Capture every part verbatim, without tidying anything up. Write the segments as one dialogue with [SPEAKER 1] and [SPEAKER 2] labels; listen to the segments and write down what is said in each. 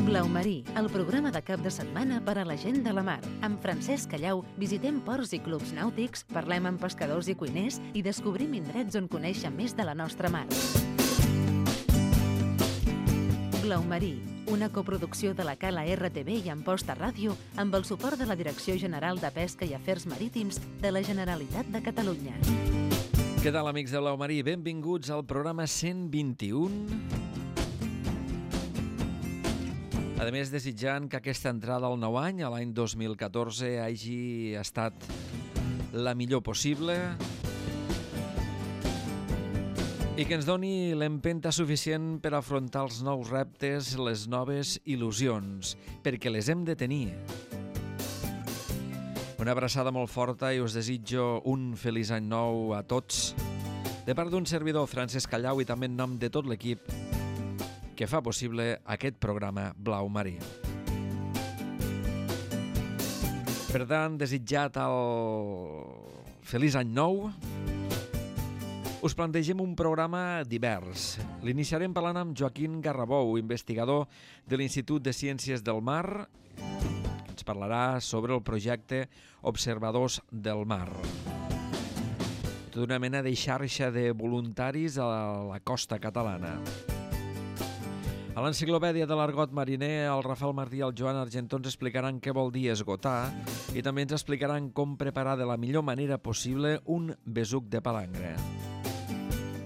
[SPEAKER 1] Blau Marí, el programa de cap de setmana per a la gent de la mar. Amb Francesc Callau visitem ports i clubs nàutics, parlem amb pescadors i cuiners i descobrim indrets on conèixer més de la nostra mar. Blau Marí, una coproducció de la Cala R T V i Amposta Ràdio amb el suport de la Direcció General de Pesca i Afers Marítims de la Generalitat de Catalunya.
[SPEAKER 2] Què tal, amics de Blau Marí? Benvinguts al programa cent vint-i-u. A més, desitjant que aquesta entrada al nou any, a l'any dos mil catorze, hagi estat la millor possible i que ens doni l'empenta suficient per afrontar els nous reptes, les noves il·lusions, perquè les hem de tenir. Una abraçada molt forta i us desitjo un feliç any nou a tots, de part d'un servidor, Francesc Callau, i també en nom de tot l'equip que fa possible aquest programa Blau Marí. Per tant, desitjat el feliç any nou, us plantegem un programa divers. L'iniciarem parlant amb Joaquim Garrabou, investigador de l'Institut de Ciències del Mar, que ens parlarà sobre el projecte Observadors del Mar. Tota una mena de xarxa de voluntaris a la costa catalana. A l'enciclopèdia de l'argot mariner, el Rafael Martí i el Joan Argentó ens explicaran què vol dir esgotar i també ens explicaran com preparar de la millor manera possible un besuc de palangre.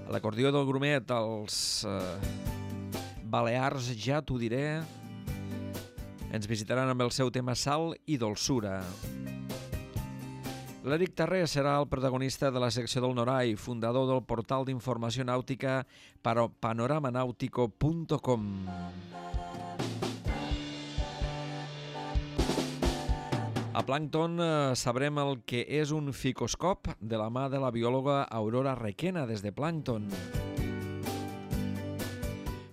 [SPEAKER 2] A l'acordió del grumet, els eh, balears, ja t'ho diré, ens visitaran amb el seu tema sal i dolçura. L'Eric Tarré serà el protagonista de la secció del Norai, fundador del portal d'informació nàutica panorama-nautico punt com. A Plàncton eh, sabrem el que és un ficoscop de la mà de la biòloga Aurora Requena des de Plàncton.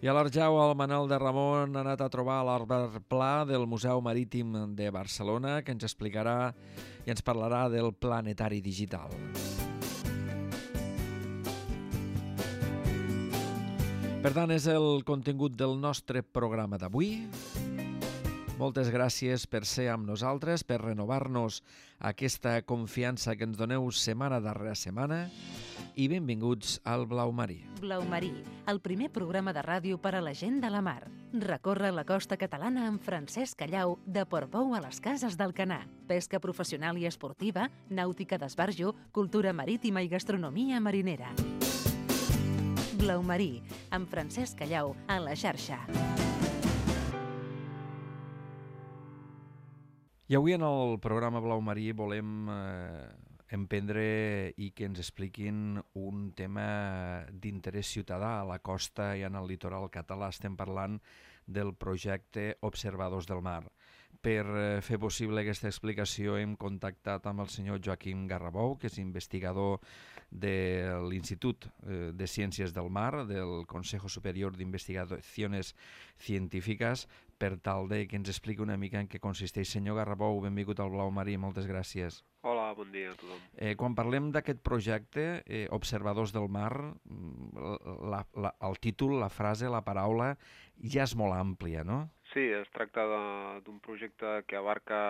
[SPEAKER 2] I a l'Arjau, el Manel de Ramon ha anat a trobar l'Arber Pla del Museu Marítim de Barcelona, que ens explicarà i ens parlarà del planetari digital. Per tant, és el contingut del nostre programa d'avui. Moltes gràcies per ser amb nosaltres, per renovar-nos aquesta confiança que ens doneu setmana darrere setmana i benvinguts al Blau Marí.
[SPEAKER 1] Blau Marí, el primer programa de ràdio per a la gent de la mar. Recorre la costa catalana amb Francesc Callau de Portbou a les Cases d'Alcanar. Pesca professional i esportiva, nàutica d'esbarjo, cultura marítima i gastronomia marinera. Blau Marí, amb Francesc Callau a la xarxa.
[SPEAKER 2] I avui en el programa Blau Marí volem eh, emprendre i que ens expliquin un tema d'interès ciutadà a la costa i en el litoral català. Estem parlant del projecte Observadors del Mar. Per fer possible aquesta explicació hem contactat amb el senyor Joaquim Garrabou, que és investigador de l'Institut de Ciències del Mar, del Consejo Superior d'Investigaciones Científiques, per tal de que ens expliqui una mica en què consisteix. Senyor Garrabou, benvingut al Blau Marí, moltes gràcies.
[SPEAKER 3] Hola, bon dia a tothom.
[SPEAKER 2] Eh, quan parlem d'aquest projecte, eh, Observadors del Mar, la, la, el títol, la frase, la paraula, ja és molt àmplia, no?
[SPEAKER 3] Sí, es tracta d'un projecte que abarca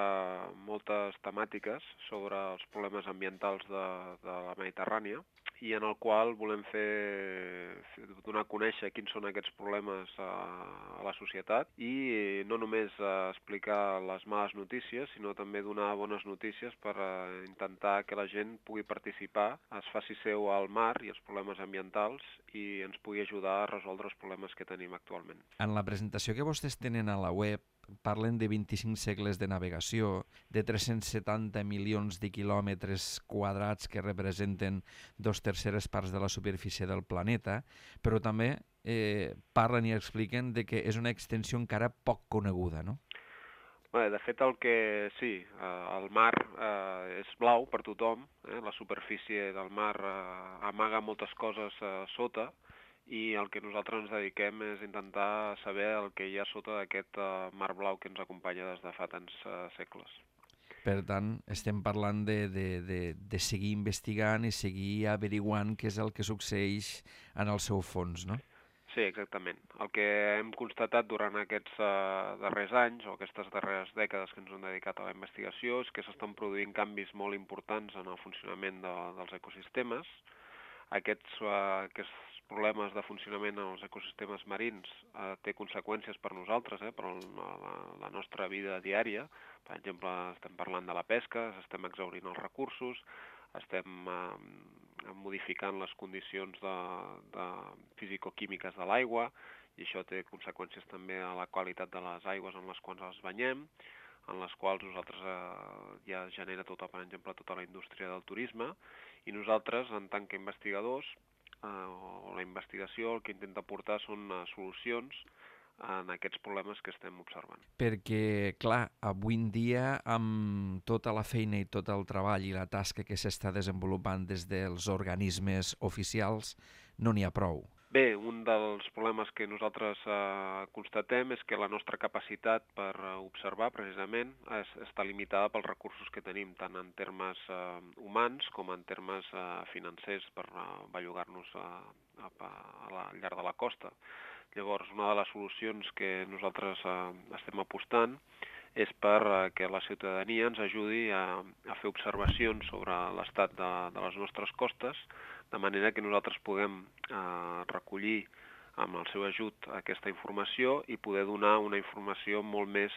[SPEAKER 3] moltes temàtiques sobre els problemes ambientals de, de la Mediterrània i en el qual volem fer, fer donar a conèixer quins són aquests problemes a, a la societat i no només explicar les males notícies, sinó també donar bones notícies per intentar que la gent pugui participar, es faci seu al mar i els problemes ambientals i ens pugui ajudar a resoldre els problemes que tenim actualment.
[SPEAKER 2] En la presentació que vostès tenen a la web parlen de vint-i-cinc segles de navegació, de tres-cents setanta milions de quilòmetres quadrats que representen dos terceres parts de la superfície del planeta, però també eh, parlen i expliquen de que és una extensió encara poc coneguda, no?
[SPEAKER 3] Bé, de fet, el que sí, eh, el mar eh, és blau per tothom, eh, la superfície del mar eh, amaga moltes coses eh, sota, i el que nosaltres ens dediquem és intentar saber el que hi ha sota d'aquest uh, mar blau que ens acompanya des de fa tants uh, segles.
[SPEAKER 2] Per tant, estem parlant de, de, de, de seguir investigant i seguir averiguant què és el que succeeix en el seu fons, no?
[SPEAKER 3] Sí, exactament. El que hem constatat durant aquests uh, darrers anys o aquestes darreres dècades que ens hem dedicat a la investigació és que s'estan produint canvis molt importants en el funcionament de, dels ecosistemes. Aquests, uh, aquests problemes de funcionament en els ecosistemes marins uh, té conseqüències per nosaltres, eh, per la, la nostra vida diària. Per exemple, estem parlant de la pesca, estem exhaurint els recursos, estem uh, modificant les condicions de, de fisicoquímiques de l'aigua i això té conseqüències també a la qualitat de les aigües en les quals ens banyem, en les quals nosaltres eh, ja genera tota, per exemple, tota la indústria del turisme i nosaltres, en tant que investigadors, eh, o la investigació el que intenta portar són uh, solucions en aquests problemes que estem observant.
[SPEAKER 2] Perquè, clar, avui en dia, amb tota la feina i tot el treball i la tasca que s'està desenvolupant des dels organismes oficials, no n'hi ha prou.
[SPEAKER 3] Bé, un dels problemes que nosaltres eh, constatem és que la nostra capacitat per observar, precisament, és, està limitada pels recursos que tenim, tant en termes eh, humans com en termes eh, financers per eh, bellugar-nos a, a, a la, al llarg de la costa. Llavors, una de les solucions que nosaltres eh, estem apostant és per eh, que la ciutadania ens ajudi a, a fer observacions sobre l'estat de, de les nostres costes, de manera que nosaltres puguem eh, recollir amb el seu ajut aquesta informació i poder donar una informació molt més,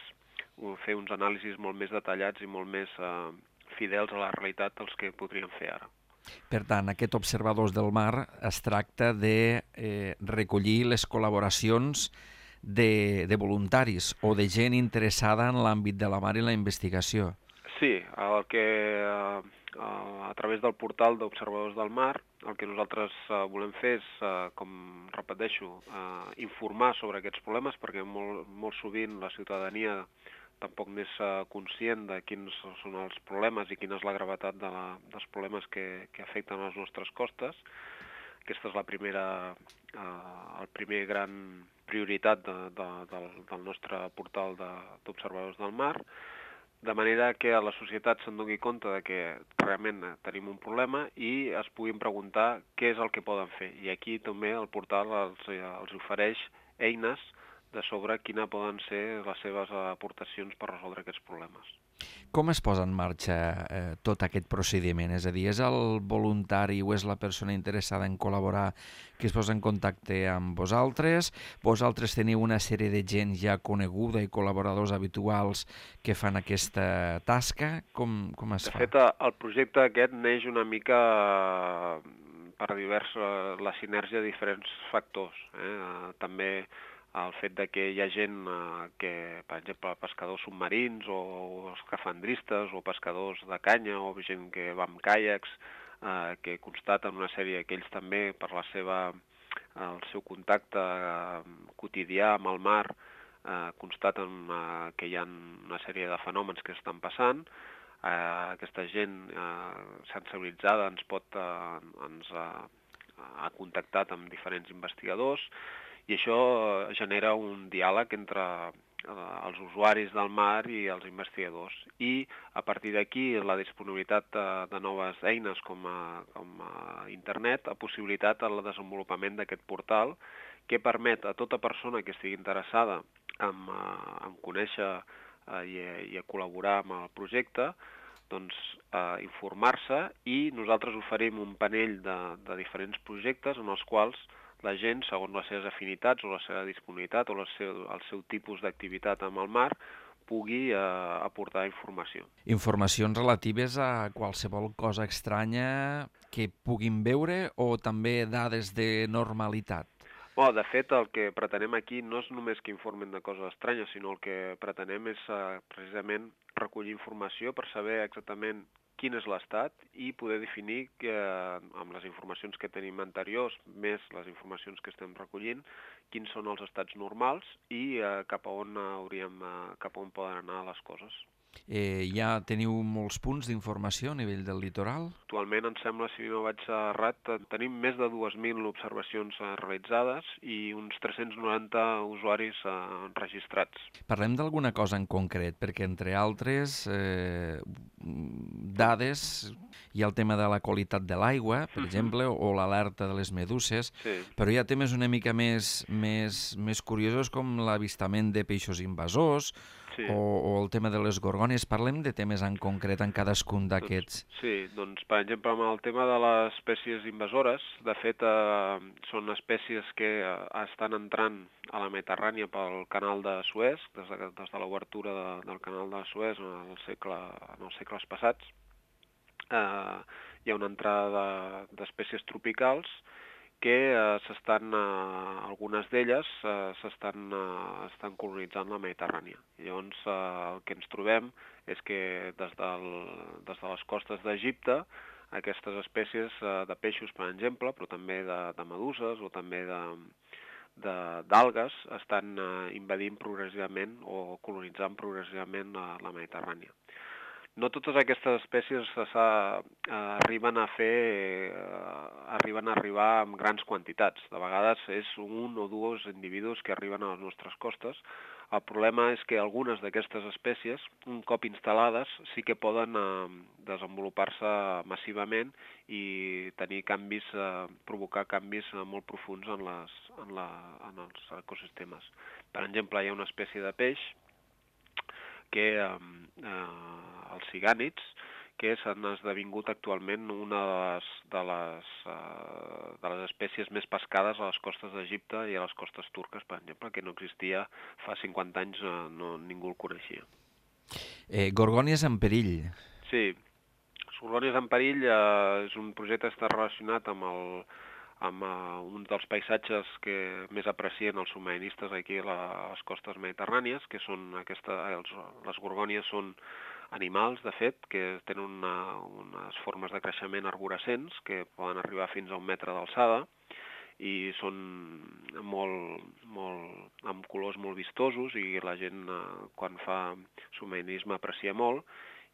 [SPEAKER 3] fer uns anàlisis molt més detallats i molt més eh, fidels a la realitat dels que podríem fer ara.
[SPEAKER 2] Per tant, aquest Observadors del Mar es tracta de eh, recollir les col·laboracions de, de voluntaris o de gent interessada en l'àmbit de la mar i la investigació.
[SPEAKER 3] Sí, el que eh, a través del portal d'Observadors del Mar el que nosaltres eh, volem fer és, eh, com repeteixo, eh, informar sobre aquests problemes perquè molt, molt sovint la ciutadania tampoc n'és conscient de quins són els problemes i quina és la gravetat de la, dels problemes que, que afecten les nostres costes. Aquesta és la primera, eh, el primer gran prioritat de, de, del, del nostre portal d'Observadors de, del Mar, de manera que la societat se'n doni compte de que realment tenim un problema i es puguin preguntar què és el que poden fer. I aquí també el portal els, els ofereix eines de sobre quina poden ser les seves aportacions per resoldre aquests problemes.
[SPEAKER 2] Com es posa en marxa eh, tot aquest procediment? És a dir, és el voluntari o és la persona interessada en col·laborar que es posa en contacte amb vosaltres? Vosaltres teniu una sèrie de gent ja coneguda i col·laboradors habituals que fan aquesta tasca? Com, com es
[SPEAKER 3] fa?
[SPEAKER 2] De
[SPEAKER 3] fet, el projecte aquest neix una mica per diversa, la sinergia de diferents factors. Eh? També el fet de que hi ha gent eh, que, per exemple, pescadors submarins o, o escafandristes o pescadors de canya o gent que va amb caiacs, eh, que constaten una sèrie que ells també, per la seva, el seu contacte eh, quotidià amb el mar, eh, constaten eh, que hi ha una sèrie de fenòmens que estan passant. Eh, aquesta gent eh, sensibilitzada ens pot, eh, ens eh, ha contactat amb diferents investigadors, i això genera un diàleg entre els usuaris del mar i els investigadors. I a partir d'aquí la disponibilitat de, de noves eines com a, com a internet ha possibilitat el desenvolupament d'aquest portal que permet a tota persona que estigui interessada en, en conèixer i, i a col·laborar amb el projecte doncs, eh, informar-se i nosaltres oferim un panell de, de diferents projectes en els quals la gent, segons les seves afinitats o la seva disponibilitat o el seu, el seu tipus d'activitat amb el mar, pugui eh, aportar informació.
[SPEAKER 2] Informacions relatives a qualsevol cosa estranya que puguin veure o també dades de normalitat?
[SPEAKER 3] Oh, de fet, el que pretenem aquí no és només que informen de coses estranyes, sinó el que pretenem és eh, precisament recollir informació per saber exactament quin és l'estat i poder definir que, amb les informacions que tenim anteriors, més les informacions que estem recollint, quins són els estats normals i eh, cap a on hauríem, eh, cap a on poden anar les coses.
[SPEAKER 2] Eh, ja teniu molts punts d'informació a nivell del litoral?
[SPEAKER 3] Actualment, em sembla, si no vaig errat, tenim més de dues mil observacions realitzades i uns tres-cents noranta usuaris eh, registrats.
[SPEAKER 2] Parlem d'alguna cosa en concret, perquè entre altres eh, dades hi ha el tema de la qualitat de l'aigua, per uh-huh. exemple, o l'alerta de les meduses,
[SPEAKER 3] sí.
[SPEAKER 2] però hi ha temes una mica més, més, més curiosos com l'avistament de peixos invasors, sí. o, o el tema de les gorgònies. Parlem de temes en concret en cadascun d'aquests.
[SPEAKER 3] Doncs, sí, doncs per exemple amb el tema de les espècies invasores, de fet eh, són espècies que eh, estan entrant a la Mediterrània pel canal de Suez, des de, des de l'obertura de, del canal de Suez en, el segle, en els segles passats. Eh, hi ha una entrada d'espècies tropicals que eh, s'estan, eh, algunes d'elles eh, s'estan eh, estan colonitzant la Mediterrània. Llavors eh, el que ens trobem és que des, del, des de les costes d'Egipte aquestes espècies eh, de peixos, per exemple, però també de, de meduses o també de, de, d'algues estan eh, invadint progressivament o colonitzant progressivament la, la Mediterrània. No totes aquestes espècies arriben a fer, arriben a arribar amb grans quantitats. De vegades és un o dos individus que arriben a les nostres costes. El problema és que algunes d'aquestes espècies, un cop instal·lades, sí que poden eh, desenvolupar-se massivament i tenir canvis, eh, provocar canvis molt profunds en, les, en, la, en els ecosistemes. Per exemple, hi ha una espècie de peix que eh, els cigànids, que s'han esdevingut actualment una de les, de, les, uh, de les espècies més pescades a les costes d'Egipte i a les costes turques, per exemple, que no existia fa cinquanta anys, uh, no, ningú el coneixia.
[SPEAKER 2] Eh, Gorgònies en perill.
[SPEAKER 3] Sí, Gorgònies en perill uh, és un projecte que està relacionat amb el amb uh, un dels paisatges que més aprecien els submarinistes aquí a les costes mediterrànies, que són aquesta, els, les gorgònies són animals, de fet, que tenen una, unes formes de creixement arborescents que poden arribar fins a un metre d'alçada i són molt, molt, amb colors molt vistosos i la gent eh, quan fa submarinisme aprecia molt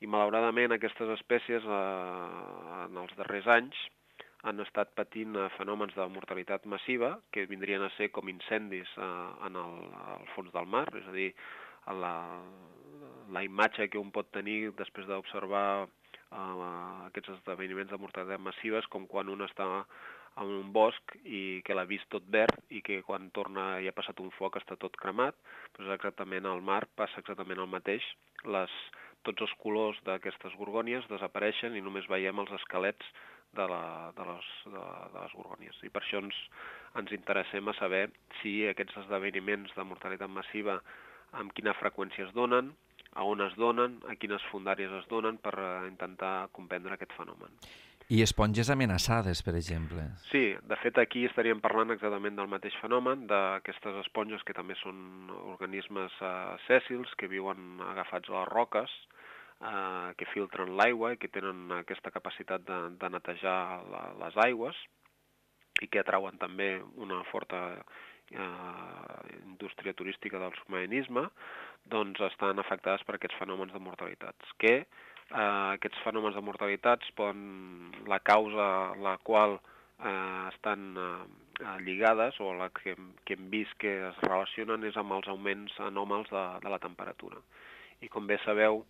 [SPEAKER 3] i malauradament aquestes espècies eh, en els darrers anys han estat patint fenòmens de mortalitat massiva que vindrien a ser com incendis en el, al fons del mar, és a dir, la, la imatge que un pot tenir després d'observar uh, aquests esdeveniments de mortalitat massiva és com quan un està en un bosc i que l'ha vist tot verd i que quan torna i ha passat un foc està tot cremat, doncs exactament al mar passa exactament el mateix. Les, tots els colors d'aquestes gorgònies desapareixen i només veiem els esquelets de, la, de, les, de, de les gorgònies. I per això ens, ens interessem a saber si aquests esdeveniments de mortalitat massiva amb quina freqüència es donen, a on es donen, a quines fondàries es donen per intentar comprendre aquest fenomen.
[SPEAKER 2] I esponges amenaçades, per exemple.
[SPEAKER 3] Sí, de fet aquí estaríem parlant exactament del mateix fenomen, d'aquestes esponges que també són organismes uh, sèssils que viuen agafats a les roques, uh, que filtren l'aigua i que tenen aquesta capacitat de, de netejar la, les aigües i que atrauen també una forta uh, indústria turística del submarinisme, doncs estan afectades per aquests fenòmens de mortalitats, que Uh, aquests fenòmens de mortalitats poden, la causa a la qual uh, estan uh, lligades o la que, que hem vist que es relacionen és amb els augments anòmals de, de la temperatura. I com bé sabeu,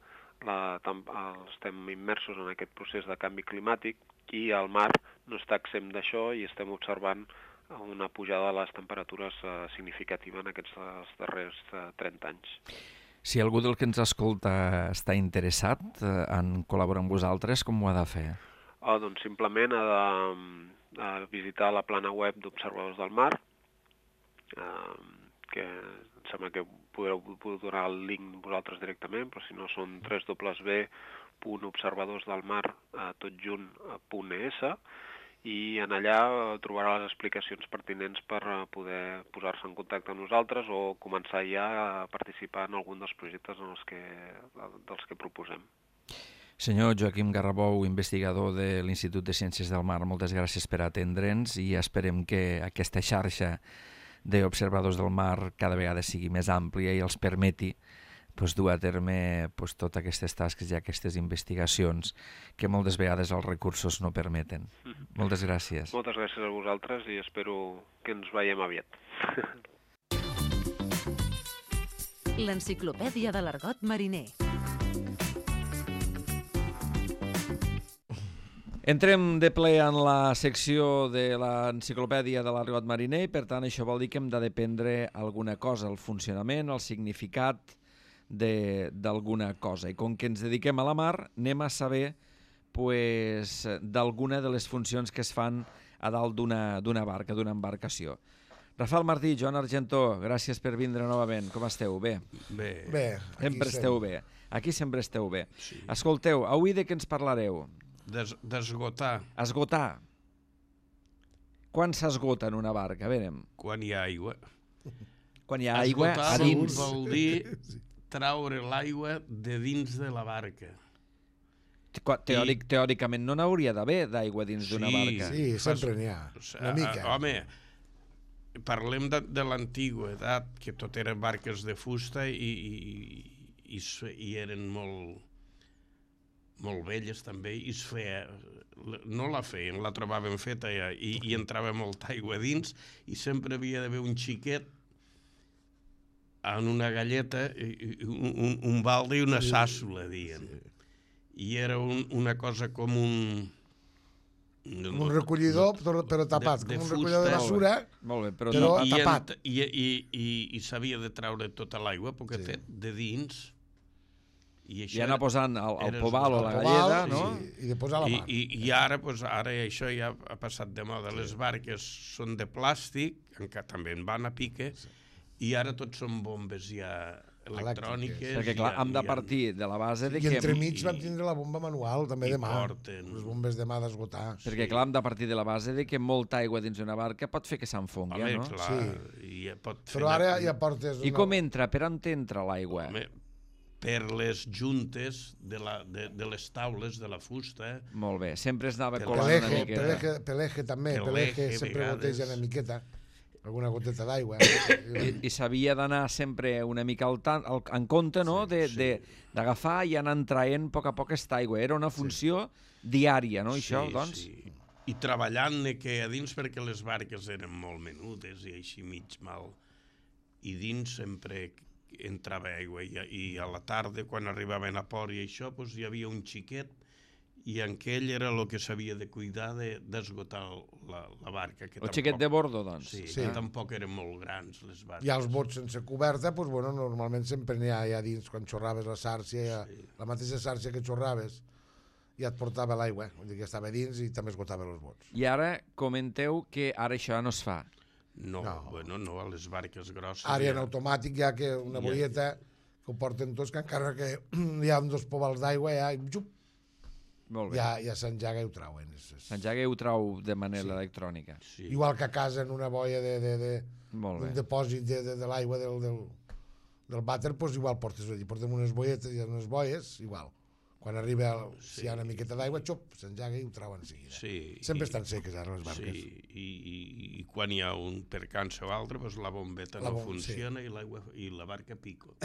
[SPEAKER 3] la, tam, estem immersos en aquest procés de canvi climàtic i el mar no està exempt d'això i estem observant una pujada de les temperatures uh, significativa en aquests darrers uh, trenta anys.
[SPEAKER 2] Si algú del que ens escolta està interessat eh, en col·laborar amb vosaltres, com ho ha de fer?
[SPEAKER 3] Oh, doncs simplement ha de, de visitar la plana web d'Observadors del Mar, eh, que em sembla que podreu, podreu donar el link vosaltres directament, però si no són w w w punt observadors del mar tot junt punt e essa i en allà trobarà les explicacions pertinents per poder posar-se en contacte amb nosaltres o començar ja a participar en algun dels projectes en els que, dels que proposem.
[SPEAKER 2] Senyor Joaquim Garrabou, investigador de l'Institut de Ciències del Mar, moltes gràcies per atendre'ns i esperem que aquesta xarxa d'observadors del mar cada vegada sigui més àmplia i els permeti pues, dur a terme pues, totes aquestes tasques i aquestes investigacions que moltes vegades els recursos no permeten. Mm. Moltes gràcies.
[SPEAKER 3] Moltes gràcies a vosaltres i espero que ens veiem aviat.
[SPEAKER 1] L'Enciclopèdia de l'Argot Mariner.
[SPEAKER 2] Entrem de ple en la secció de l'Enciclopèdia de l'Argot Mariner i, per tant, això vol dir que hem de dependre alguna cosa, el funcionament, el significat d'alguna cosa. I com que ens dediquem a la mar, anem a saber pues, d'alguna de les funcions que es fan a dalt d'una barca, d'una embarcació. Rafael Martí, Joan Argentó, gràcies per vindre novament. Com esteu? Bé?
[SPEAKER 4] Bé.
[SPEAKER 5] Bé,
[SPEAKER 2] sempre esteu bé. Aquí sempre esteu bé.
[SPEAKER 4] Sí.
[SPEAKER 2] Escolteu, avui de què ens parlareu?
[SPEAKER 4] D'esgotar.
[SPEAKER 2] Esgotar. Quan s'esgota en una barca? A veure.
[SPEAKER 4] Quan hi ha aigua.
[SPEAKER 2] Quan hi ha aigua
[SPEAKER 4] Esgotar
[SPEAKER 2] a dins.
[SPEAKER 4] vol dir traure l'aigua de dins de la barca.
[SPEAKER 2] Teòric, teòricament no n'hauria d'haver d'aigua dins d'una
[SPEAKER 4] Sí.
[SPEAKER 2] barca.
[SPEAKER 5] Sí, sempre n'hi ha, una mica.
[SPEAKER 4] Home, parlem de, de l'antigua edat, que tot eren barques de fusta i, i, i, i eren molt, molt velles també, i es feia, no la feien, la trobaven feta ja, i, i entrava molta aigua dins, i sempre havia d'haver un xiquet en una galleta, un, un, un balde i una sàssula, dient. I era un, una cosa com un...
[SPEAKER 5] Com un recollidor, però, però tapat,
[SPEAKER 4] de, de
[SPEAKER 5] com un
[SPEAKER 4] fusta.
[SPEAKER 5] recollidor de basura,
[SPEAKER 2] Molt bé, però,
[SPEAKER 5] però
[SPEAKER 2] no,
[SPEAKER 4] I,
[SPEAKER 5] tapat.
[SPEAKER 4] I, i, i, i s'havia de treure tota l'aigua, perquè
[SPEAKER 5] Sí.
[SPEAKER 4] sí. de dins... I,
[SPEAKER 2] i anar posant el, el
[SPEAKER 4] era
[SPEAKER 2] pobal o la
[SPEAKER 5] el
[SPEAKER 2] galleda,
[SPEAKER 5] pobal,
[SPEAKER 2] no?
[SPEAKER 5] I, i de posar la
[SPEAKER 4] I,
[SPEAKER 5] mà.
[SPEAKER 4] i, i ara, pues, ara això ja ha passat de moda. Les barques són de plàstic, encara també en van a pique, i ara tots són bombes ja electròniques.
[SPEAKER 2] Perquè, clar, hem de partir de la base de
[SPEAKER 5] I
[SPEAKER 2] que...
[SPEAKER 5] entremig vam tindre la bomba manual, també
[SPEAKER 4] i
[SPEAKER 5] de mà.
[SPEAKER 4] porten.
[SPEAKER 5] Les bombes de mà d'esgotar.
[SPEAKER 2] Perquè, clar, hem de partir de la base de que molta aigua dins d'una barca pot fer que s'enfongui,
[SPEAKER 4] Home,
[SPEAKER 2] no?
[SPEAKER 4] clar,
[SPEAKER 5] Sí.
[SPEAKER 4] i ja pot fer
[SPEAKER 5] Però ara
[SPEAKER 4] una-
[SPEAKER 5] ja portes...
[SPEAKER 2] I com entra? Per on entra l'aigua?
[SPEAKER 4] Home, per les juntes de, la, de, de les taules de la fusta.
[SPEAKER 2] Molt bé, sempre es anava
[SPEAKER 4] Pel
[SPEAKER 2] colant una
[SPEAKER 5] Peleje,
[SPEAKER 2] miqueta.
[SPEAKER 5] peleje, peleje també,
[SPEAKER 4] Peleje,
[SPEAKER 5] peleje sempre
[SPEAKER 4] vegades.
[SPEAKER 5] goteja una miqueta, alguna goteta d'aigua.
[SPEAKER 2] I, i s'havia d'anar sempre una mica al tan, al, en compte, no?,
[SPEAKER 4] Sí,
[SPEAKER 2] de-
[SPEAKER 4] sí.
[SPEAKER 2] de- d'agafar i anar traient a poc a poc aquesta aigua. Era una funció diària, no, això,
[SPEAKER 4] Sí,
[SPEAKER 2] doncs?
[SPEAKER 4] sí. I treballant que a dins, perquè les barques eren molt menudes i així mig mal, i dins sempre entrava aigua, i, i a la tarda, quan arribaven a port i això, doncs hi havia un xiquet, i en aquell era el que s'havia de cuidar d'esgotar de, la, la barca. Que
[SPEAKER 2] El
[SPEAKER 4] tampoc,
[SPEAKER 2] xiquet de bordo, doncs?
[SPEAKER 4] Sí,
[SPEAKER 5] Sí.
[SPEAKER 4] que tampoc eren molt grans, les barques.
[SPEAKER 5] Hi ha els bots sense coberta, doncs, bueno, normalment sempre n'hi ha allà dins, quan xorraves la sàrcia, ja,
[SPEAKER 4] Sí.
[SPEAKER 5] la mateixa sàrcia que xorraves, ja et portava l'aigua, vull dir que estava dins i també esgotava els bots.
[SPEAKER 2] I ara comenteu que ara això ja no es fa.
[SPEAKER 4] No,
[SPEAKER 5] No.
[SPEAKER 4] bueno, no, a les barques grosses...
[SPEAKER 5] Ara hi ha en
[SPEAKER 4] ja-
[SPEAKER 5] automàtic ja que una
[SPEAKER 4] Ja.
[SPEAKER 5] boieta que ho porten tots, que encara que hi ha dos pobals d'aigua, ja, i xup,
[SPEAKER 2] Molt bé.
[SPEAKER 5] ja, ja s'enjaga i ho trauen. És, és...
[SPEAKER 2] S'enjaga i ho trau de manera sí. electrònica.
[SPEAKER 4] Sí.
[SPEAKER 5] Igual que a casa en una boia de, de, de,
[SPEAKER 2] Molt
[SPEAKER 5] un
[SPEAKER 2] bé.
[SPEAKER 5] depòsit de, de, de l'aigua del, del, del vàter, doncs igual portes allí, portem unes boietes i unes boies, igual. Quan arriba, el, si hi ha una miqueta d'aigua, xup, s'enjaga i ho trauen en seguida.
[SPEAKER 4] Sí,
[SPEAKER 5] Sempre
[SPEAKER 4] i-
[SPEAKER 5] estan seques ara les barques.
[SPEAKER 4] Sí, i, i, i quan hi ha un percança o altre, doncs la bombeta
[SPEAKER 5] La
[SPEAKER 4] no
[SPEAKER 5] bom-
[SPEAKER 4] funciona i, l'aigua i la barca pico.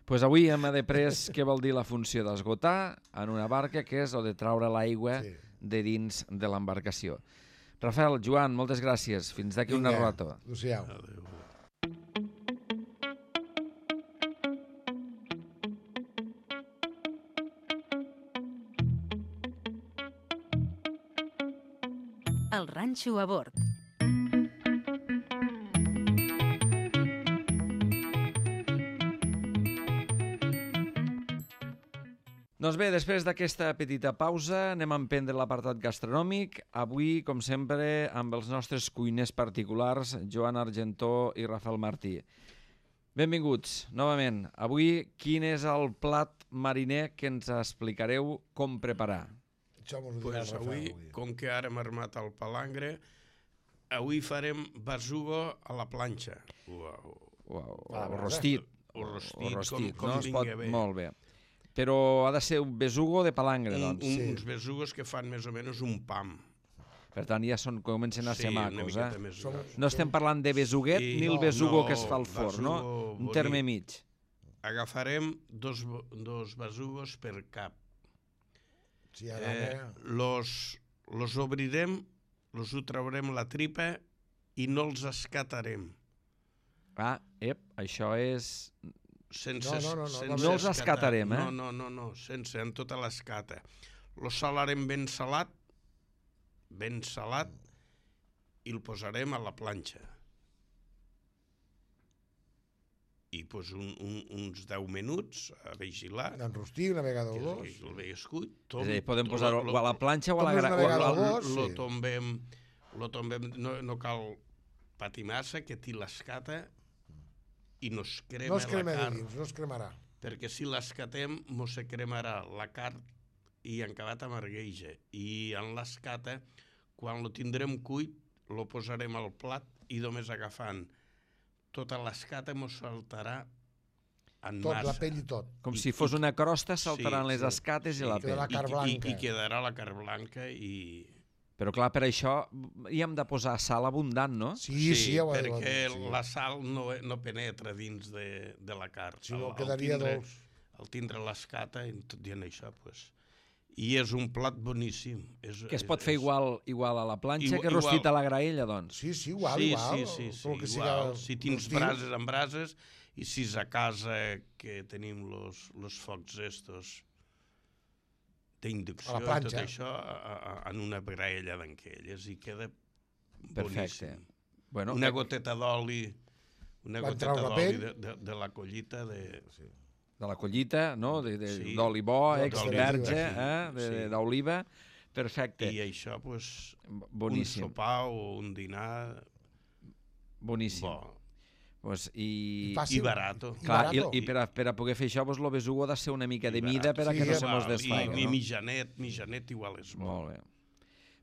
[SPEAKER 2] Pues avui hem après què vol dir la funció d'esgotar en una barca, que és o de traure l'aigua
[SPEAKER 5] Sí.
[SPEAKER 2] de dins de l'embarcació. Rafael, Joan, moltes gràcies. Fins d'aquí una
[SPEAKER 5] Vinga,
[SPEAKER 2] rato.
[SPEAKER 5] adéu-siau.
[SPEAKER 4] Adéu.
[SPEAKER 1] El ranxo a bord.
[SPEAKER 2] Doncs bé, després d'aquesta petita pausa anem a emprendre l'apartat gastronòmic. Avui, com sempre, amb els nostres cuiners particulars, Joan Argentó i Rafael Martí. Benvinguts, novament. Avui, quin és el plat mariner que ens explicareu com preparar?
[SPEAKER 5] Això mos ho dirà
[SPEAKER 4] Pues
[SPEAKER 5] el Rafael
[SPEAKER 4] avui,
[SPEAKER 5] avui.
[SPEAKER 4] com que ara hem armat el palangre, avui farem besugo a la planxa. Uau.
[SPEAKER 2] O, o,
[SPEAKER 5] Ah,
[SPEAKER 2] o
[SPEAKER 5] brasa.
[SPEAKER 2] rostit.
[SPEAKER 4] O rostit,
[SPEAKER 2] o rostit,
[SPEAKER 4] com- com
[SPEAKER 2] no? Es pot...
[SPEAKER 4] vingui bé.
[SPEAKER 2] Molt bé. Però ha de ser un besugo de palangre,
[SPEAKER 4] Un,
[SPEAKER 2] doncs.
[SPEAKER 4] un,
[SPEAKER 5] Sí.
[SPEAKER 4] Uns besugos que fan més o menys un pam.
[SPEAKER 2] Per tant, ja són, comencen a ser
[SPEAKER 4] una
[SPEAKER 2] macos,
[SPEAKER 4] miqueta
[SPEAKER 2] eh?
[SPEAKER 4] més
[SPEAKER 5] Som-
[SPEAKER 4] gros.
[SPEAKER 2] No estem parlant de besuguet
[SPEAKER 4] Sí,
[SPEAKER 2] ni el
[SPEAKER 4] no,
[SPEAKER 2] besugo
[SPEAKER 4] no,
[SPEAKER 2] que es fa al forn, no?
[SPEAKER 4] besugo
[SPEAKER 2] Un
[SPEAKER 4] bonic.
[SPEAKER 2] terme mig.
[SPEAKER 4] agafarem dos, dos besugos per cap.
[SPEAKER 5] Sí, ara...
[SPEAKER 4] Eh, los, los obrirem, los ho traurem la tripa i no els escatarem.
[SPEAKER 2] Ah, ep, això és...
[SPEAKER 4] Sense,
[SPEAKER 5] No, no, no, no,
[SPEAKER 4] sense
[SPEAKER 2] no els escatarem, eh?
[SPEAKER 4] No, no, no, no, sense, en tota l'escata. Lo salarem ben salat, ben salat, i el posarem a la planxa. I pues, un, un, uns deu minuts a vigilar.
[SPEAKER 5] Enrostir una vegada o
[SPEAKER 4] que
[SPEAKER 5] dos.
[SPEAKER 4] el veiescut.
[SPEAKER 2] És a dir, podem posar-ho a la planxa o a la...
[SPEAKER 5] Tombes una
[SPEAKER 2] gra- o a
[SPEAKER 5] vegada
[SPEAKER 2] la-
[SPEAKER 5] o dos.
[SPEAKER 4] Lo
[SPEAKER 5] sí.
[SPEAKER 4] tombem, lo tombem, no, no cal patir massa, que ti l'escata i no es crema
[SPEAKER 5] No es crema
[SPEAKER 4] la
[SPEAKER 5] de
[SPEAKER 4] carn.
[SPEAKER 5] dins, no es cremarà.
[SPEAKER 4] Perquè si l'escatem, mos se cremarà la carn i en acabat amargueja. I en l'escata, quan lo tindrem cuit, lo posarem al plat i només agafant tota l'escata mos saltarà en
[SPEAKER 5] Tot,
[SPEAKER 4] massa.
[SPEAKER 5] la pell i tot.
[SPEAKER 2] Com
[SPEAKER 4] I-
[SPEAKER 2] si fos
[SPEAKER 4] i-
[SPEAKER 2] una crosta, saltaran
[SPEAKER 4] sí,
[SPEAKER 2] les
[SPEAKER 4] sí,
[SPEAKER 2] escates
[SPEAKER 4] sí,
[SPEAKER 2] i la
[SPEAKER 5] quedarà
[SPEAKER 2] pell.
[SPEAKER 5] carn
[SPEAKER 4] I,
[SPEAKER 5] blanca.
[SPEAKER 4] i, I quedarà la carn blanca i...
[SPEAKER 2] Però clar, per això hi hem de posar sal abundant, no?
[SPEAKER 5] Sí, sí, sí, ja ho he
[SPEAKER 4] perquè
[SPEAKER 5] dit, sí.
[SPEAKER 4] la sal no, no penetra dins de, de la carn.
[SPEAKER 5] Si no,
[SPEAKER 4] Al- al
[SPEAKER 5] quedaria
[SPEAKER 4] tindre-
[SPEAKER 5] dolç.
[SPEAKER 4] Al tindre l'escata i tot dient això, pues... I és un plat boníssim. És,
[SPEAKER 2] Que es pot fer
[SPEAKER 4] és-
[SPEAKER 2] igual, igual a la planxa
[SPEAKER 4] Igual-
[SPEAKER 2] que rostit
[SPEAKER 4] igual.
[SPEAKER 2] a la graella, doncs.
[SPEAKER 5] Sí, sí, igual,
[SPEAKER 4] sí,
[SPEAKER 5] igual.
[SPEAKER 4] Sí, sí, sí,
[SPEAKER 5] tot el que
[SPEAKER 4] igual.
[SPEAKER 5] siga
[SPEAKER 4] Si tens
[SPEAKER 5] rostiu.
[SPEAKER 4] brases amb brases i si és a casa que tenim los, los focs estos d'inducció
[SPEAKER 5] A la
[SPEAKER 4] i tot
[SPEAKER 5] planxa.
[SPEAKER 4] això a, a, en una graella d'enquelles i queda
[SPEAKER 2] Perfecte.
[SPEAKER 4] boníssim.
[SPEAKER 2] Bueno,
[SPEAKER 4] Una
[SPEAKER 2] eh,
[SPEAKER 4] goteta d'oli una
[SPEAKER 5] Van
[SPEAKER 4] goteta
[SPEAKER 5] treure la
[SPEAKER 4] d'oli
[SPEAKER 5] pell.
[SPEAKER 4] de, de, de la collita de...
[SPEAKER 5] Sí.
[SPEAKER 2] de la collita, no? De, de,
[SPEAKER 4] Sí.
[SPEAKER 2] d'oli bo,
[SPEAKER 5] D'oli
[SPEAKER 2] extra
[SPEAKER 5] d'oliva,
[SPEAKER 2] verge,
[SPEAKER 4] sí.
[SPEAKER 2] eh? de-
[SPEAKER 4] Sí.
[SPEAKER 2] d'oliva. Perfecte.
[SPEAKER 4] I això, pues,
[SPEAKER 2] Boníssim.
[SPEAKER 4] un sopar o un dinar
[SPEAKER 2] Boníssim.
[SPEAKER 4] bo
[SPEAKER 2] Pues, i...
[SPEAKER 5] I fàcil.
[SPEAKER 4] i barato.
[SPEAKER 5] I
[SPEAKER 2] Clar, i,
[SPEAKER 5] barato.
[SPEAKER 2] i per, a, per a poder fer això, pues, lo besugo ha de ser una mica de
[SPEAKER 4] I
[SPEAKER 2] mida per a
[SPEAKER 5] Sí,
[SPEAKER 2] que no
[SPEAKER 5] ja
[SPEAKER 2] se
[SPEAKER 5] va,
[SPEAKER 2] mos
[SPEAKER 4] I,
[SPEAKER 2] desfaga,
[SPEAKER 4] i
[SPEAKER 2] no?
[SPEAKER 4] mitjanet, mitjanet igual és bo.
[SPEAKER 2] Molt bé.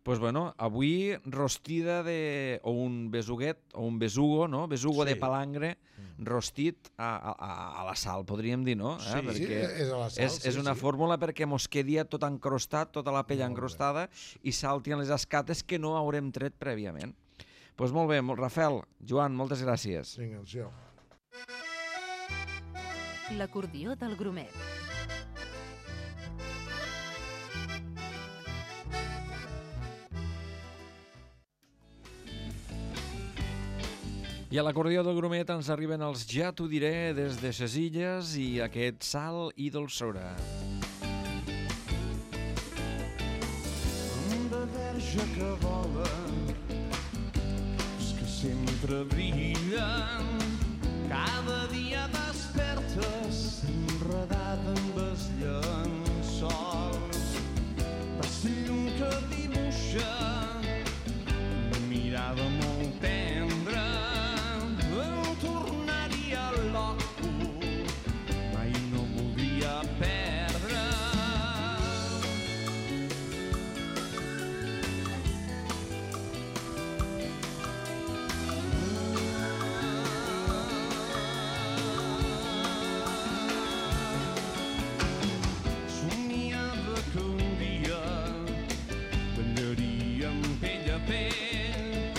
[SPEAKER 2] Pues bueno, avui rostida de... o un besuguet, o un besugo, no? Besugo
[SPEAKER 4] Sí.
[SPEAKER 2] de palangre rostit a, a, a la sal, podríem dir, no?
[SPEAKER 4] Sí.
[SPEAKER 5] Sí,
[SPEAKER 2] Perquè
[SPEAKER 5] és a la sal,
[SPEAKER 2] és,
[SPEAKER 5] sí,
[SPEAKER 2] és una
[SPEAKER 5] sí.
[SPEAKER 2] fórmula perquè mos quedi tot encrostat, tota la pell
[SPEAKER 5] Molt bé.
[SPEAKER 2] encrostada, i saltin les escates que no haurem tret prèviament. Doncs pues molt bé, molt- Rafael, Joan, moltes gràcies.
[SPEAKER 5] Vinga, això.
[SPEAKER 1] L'acordió del Grumet.
[SPEAKER 2] I a l'acordió del Grumet ens arriben els Ja t'ho diré des de ses illes i aquest sal i dolçora.
[SPEAKER 6] de verge que volen, els que sempre brillen, cada dia despertes enredada amb els llençols, vas llum que dibuixa una mirada molt tendra, em tornaria loco, mai no voldria perdre. Somiava que un dia ballaríem pell a pell.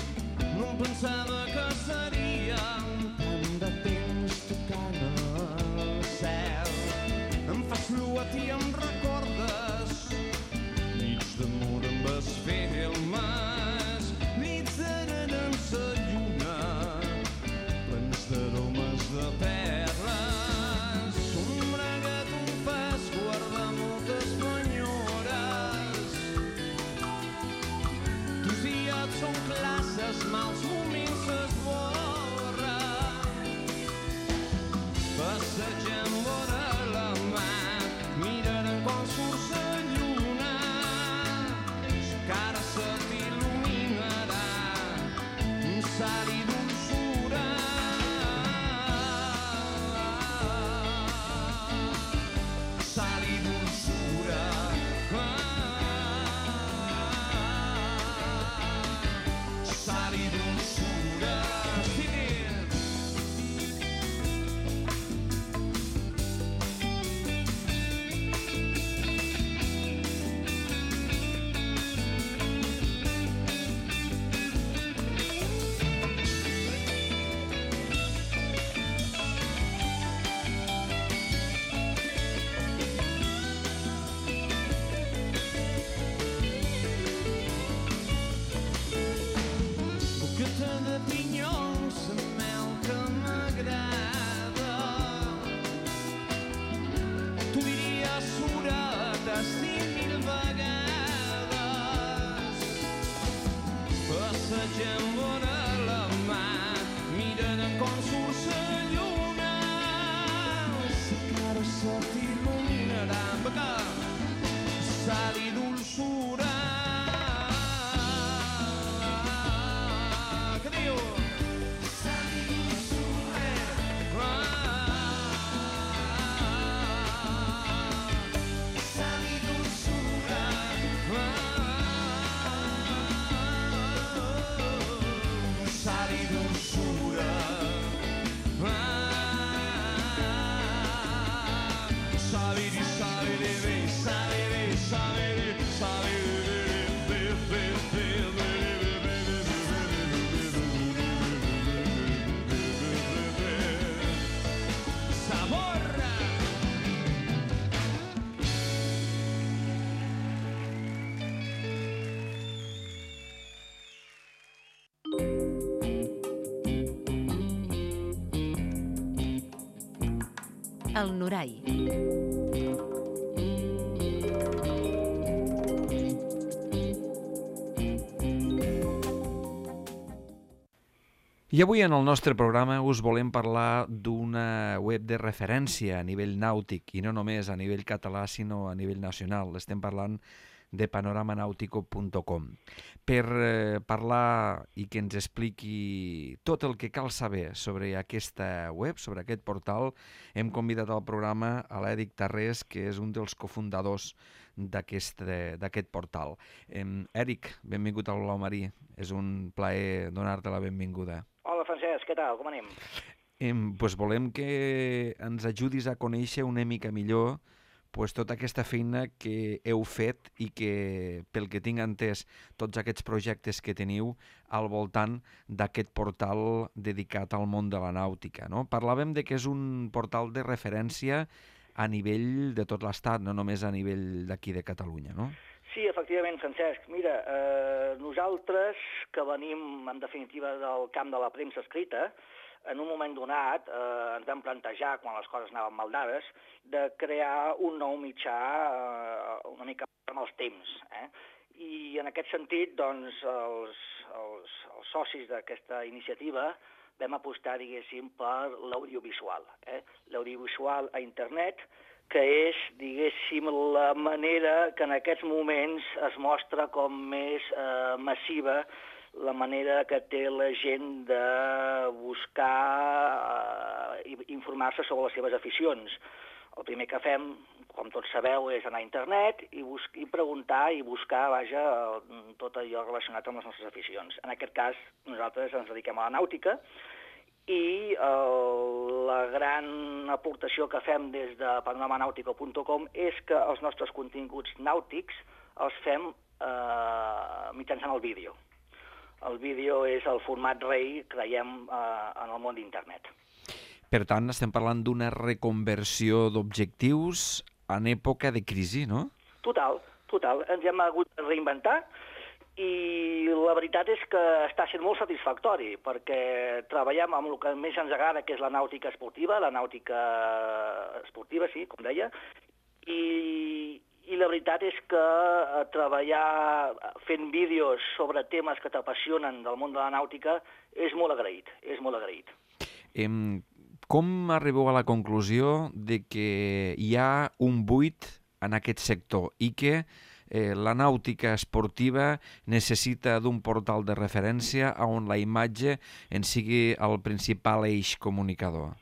[SPEAKER 6] No em pensava que seríem tant de temps tocant el cel. Em fas fluat i em recordes nits d'amor amb els filmes, nits d'eren en sa lluna, plens d'aromes de perles. Sombra que tu em fas guardar moltes penyores. Tus dies són classes, mals moments s'esborren. Passegem vora la mar, mirarem quan surt la lluna. La cara se t'il·luminarà, un sal i dolçura. Sal i dolçura. Sal i dolçura. Sí. sal i dolçura. Què diu? Sal i dolçura. Sal i dolçura. Sal i dolçura. Sabiri, sabiri, sabiri, sabiri,
[SPEAKER 1] El Norai.
[SPEAKER 2] I avui en el nostre programa us volem parlar d'una web de referència a nivell nàutic, i no només a nivell català, sinó a nivell nacional. Estem parlant de panorama nautico punt com. Per eh, parlar i que ens expliqui tot el que cal saber sobre aquesta web, sobre aquest portal, hem convidat al programa a l'Èric Tarrés, que és un dels cofundadors d'aquest d'aquest portal. Eh, Èric, benvingut al Blau Marí. És un plaer donar-te la benvinguda.
[SPEAKER 7] Hola, Francesc, què tal? Com anem?
[SPEAKER 2] Eh, pues volem que ens ajudis a conèixer una mica millor pues, tota aquesta feina que heu fet i que, pel que tinc entès, tots aquests projectes que teniu al voltant d'aquest portal dedicat al món de la nàutica. No? Parlàvem de que és un portal de referència a nivell de tot l'Estat, no només a nivell d'aquí de Catalunya, no?
[SPEAKER 7] Sí, efectivament, Francesc. Mira, eh, nosaltres, que venim, en definitiva, del camp de la premsa escrita, en un moment donat eh, ens vam plantejar, quan les coses anaven mal dades, de crear un nou mitjà eh, una mica amb els temps. Eh? I en aquest sentit, doncs, els, els, els socis d'aquesta iniciativa vam apostar, diguéssim, per l'audiovisual. Eh? L'audiovisual a internet, que és, diguéssim, la manera que en aquests moments es mostra com més eh, massiva la manera que té la gent de buscar i eh, informar-se sobre les seves aficions. El primer que fem, com tots sabeu, és anar a internet i, i preguntar i buscar, vaja, tot allò relacionat amb les nostres aficions. En aquest cas, nosaltres ens dediquem a la nàutica i eh, la gran aportació que fem des de panorama nautico punt com és que els nostres continguts nàutics els fem eh, mitjançant el vídeo. El vídeo és el format rei, creiem, eh, en el món d'internet.
[SPEAKER 2] Per tant, estem parlant d'una reconversió d'objectius en època de crisi, no? Total,
[SPEAKER 7] total. Ens hem hagut de reinventar i la veritat és que està sent molt satisfactori, perquè treballem amb el que més ens agrada, que és la nàutica esportiva, la nàutica esportiva, sí, com deia, i, i la veritat és que treballar fent vídeos sobre temes que t'apassionen del món de la nàutica és molt agraït, és molt agraït.
[SPEAKER 2] Em, com arribeu a la conclusió de que hi ha un buit en aquest sector i que Eh, la nàutica esportiva necessita d'un portal de referència on la imatge en sigui el principal eix comunicador?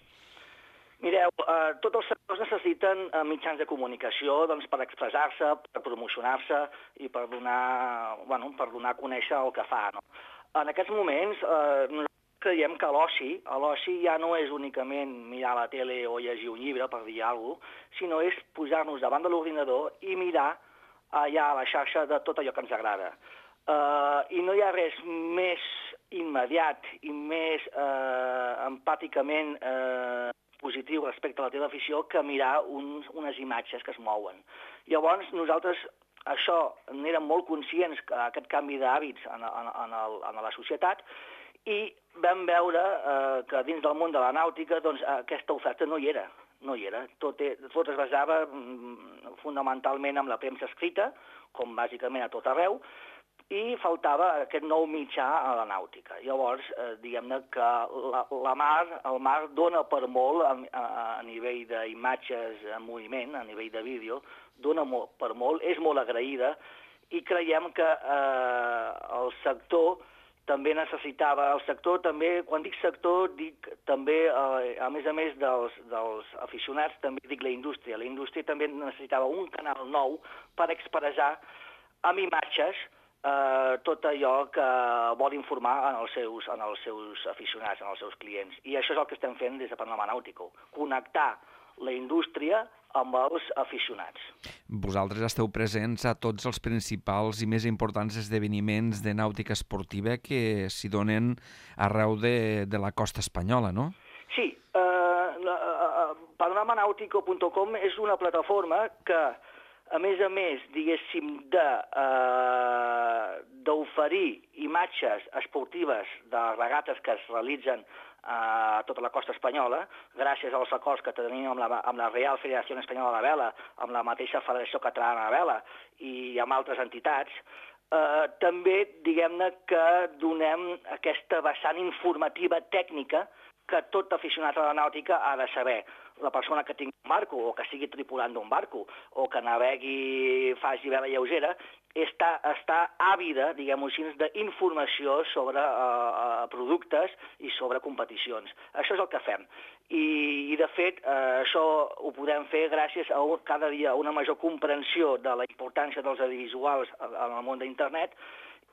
[SPEAKER 7] Mireu, eh, tots els sectors necessiten eh, mitjans de comunicació doncs, per expressar-se, per promocionar-se i per donar, bueno, per donar a conèixer el que fa. No? En aquests moments, eh, nosaltres creiem que l'oci, l'oci ja no és únicament mirar la tele o llegir un llibre, per dir alguna cosa, sinó és posar-nos davant de l'ordinador i mirar allà a la xarxa de tot allò que ens agrada. Uh, I no hi ha res més immediat i més uh, empàticament uh, positiu respecte a la teva afició que mirar uns, unes imatges que es mouen. Llavors, nosaltres això n'érem molt conscients, que aquest canvi d'hàbits en, en, en, el, en la societat, i vam veure uh, que dins del món de la nàutica doncs, aquesta oferta no hi era. No hi era. Tot, tot es basava mm, fonamentalment en la premsa escrita, com bàsicament a tot arreu, i faltava aquest nou mitjà a la nàutica. Llavors, eh, diguem-ne que la, la mar, el mar dona per molt a, a, a nivell d'imatges en moviment, a nivell de vídeo, dona molt, per molt, és molt agraïda, i creiem que eh, el sector també necessitava, el sector també, quan dic sector, dic també, eh, a més a més dels, dels aficionats, també dic la indústria. La indústria també necessitava un canal nou per expressar amb imatges eh, tot allò que vol informar en els, seus, en els seus aficionats, en els seus clients. I això és el que estem fent des de Panorama Nàutico, connectar la indústria amb els aficionats.
[SPEAKER 2] Vosaltres esteu presents a tots els principals i més importants esdeveniments de nàutica esportiva que s'hi donen arreu de, de la costa espanyola, no? Sí.
[SPEAKER 7] Eh, uh, panorama nàutico punt com és una plataforma que, a més a més, diguéssim, de, uh, d'oferir imatges esportives de regates que es realitzen a tota la costa espanyola, gràcies als acords que tenim amb la, amb la Real Federació Espanyola de Vela, amb la mateixa Federació Catalana de Vela i amb altres entitats, eh, també diguem-ne que donem aquesta vessant informativa tècnica que tot aficionat a la nàutica ha de saber. La persona que tingui un barco o que sigui tripulant d'un barco o que navegui, faci vela lleugera, està, està àvida, diguem-ho així, d'informació sobre uh, productes i sobre competicions. Això és el que fem. I, i de fet, uh, això ho podem fer gràcies a un, cada dia una major comprensió de la importància dels audiovisuals en el món d'internet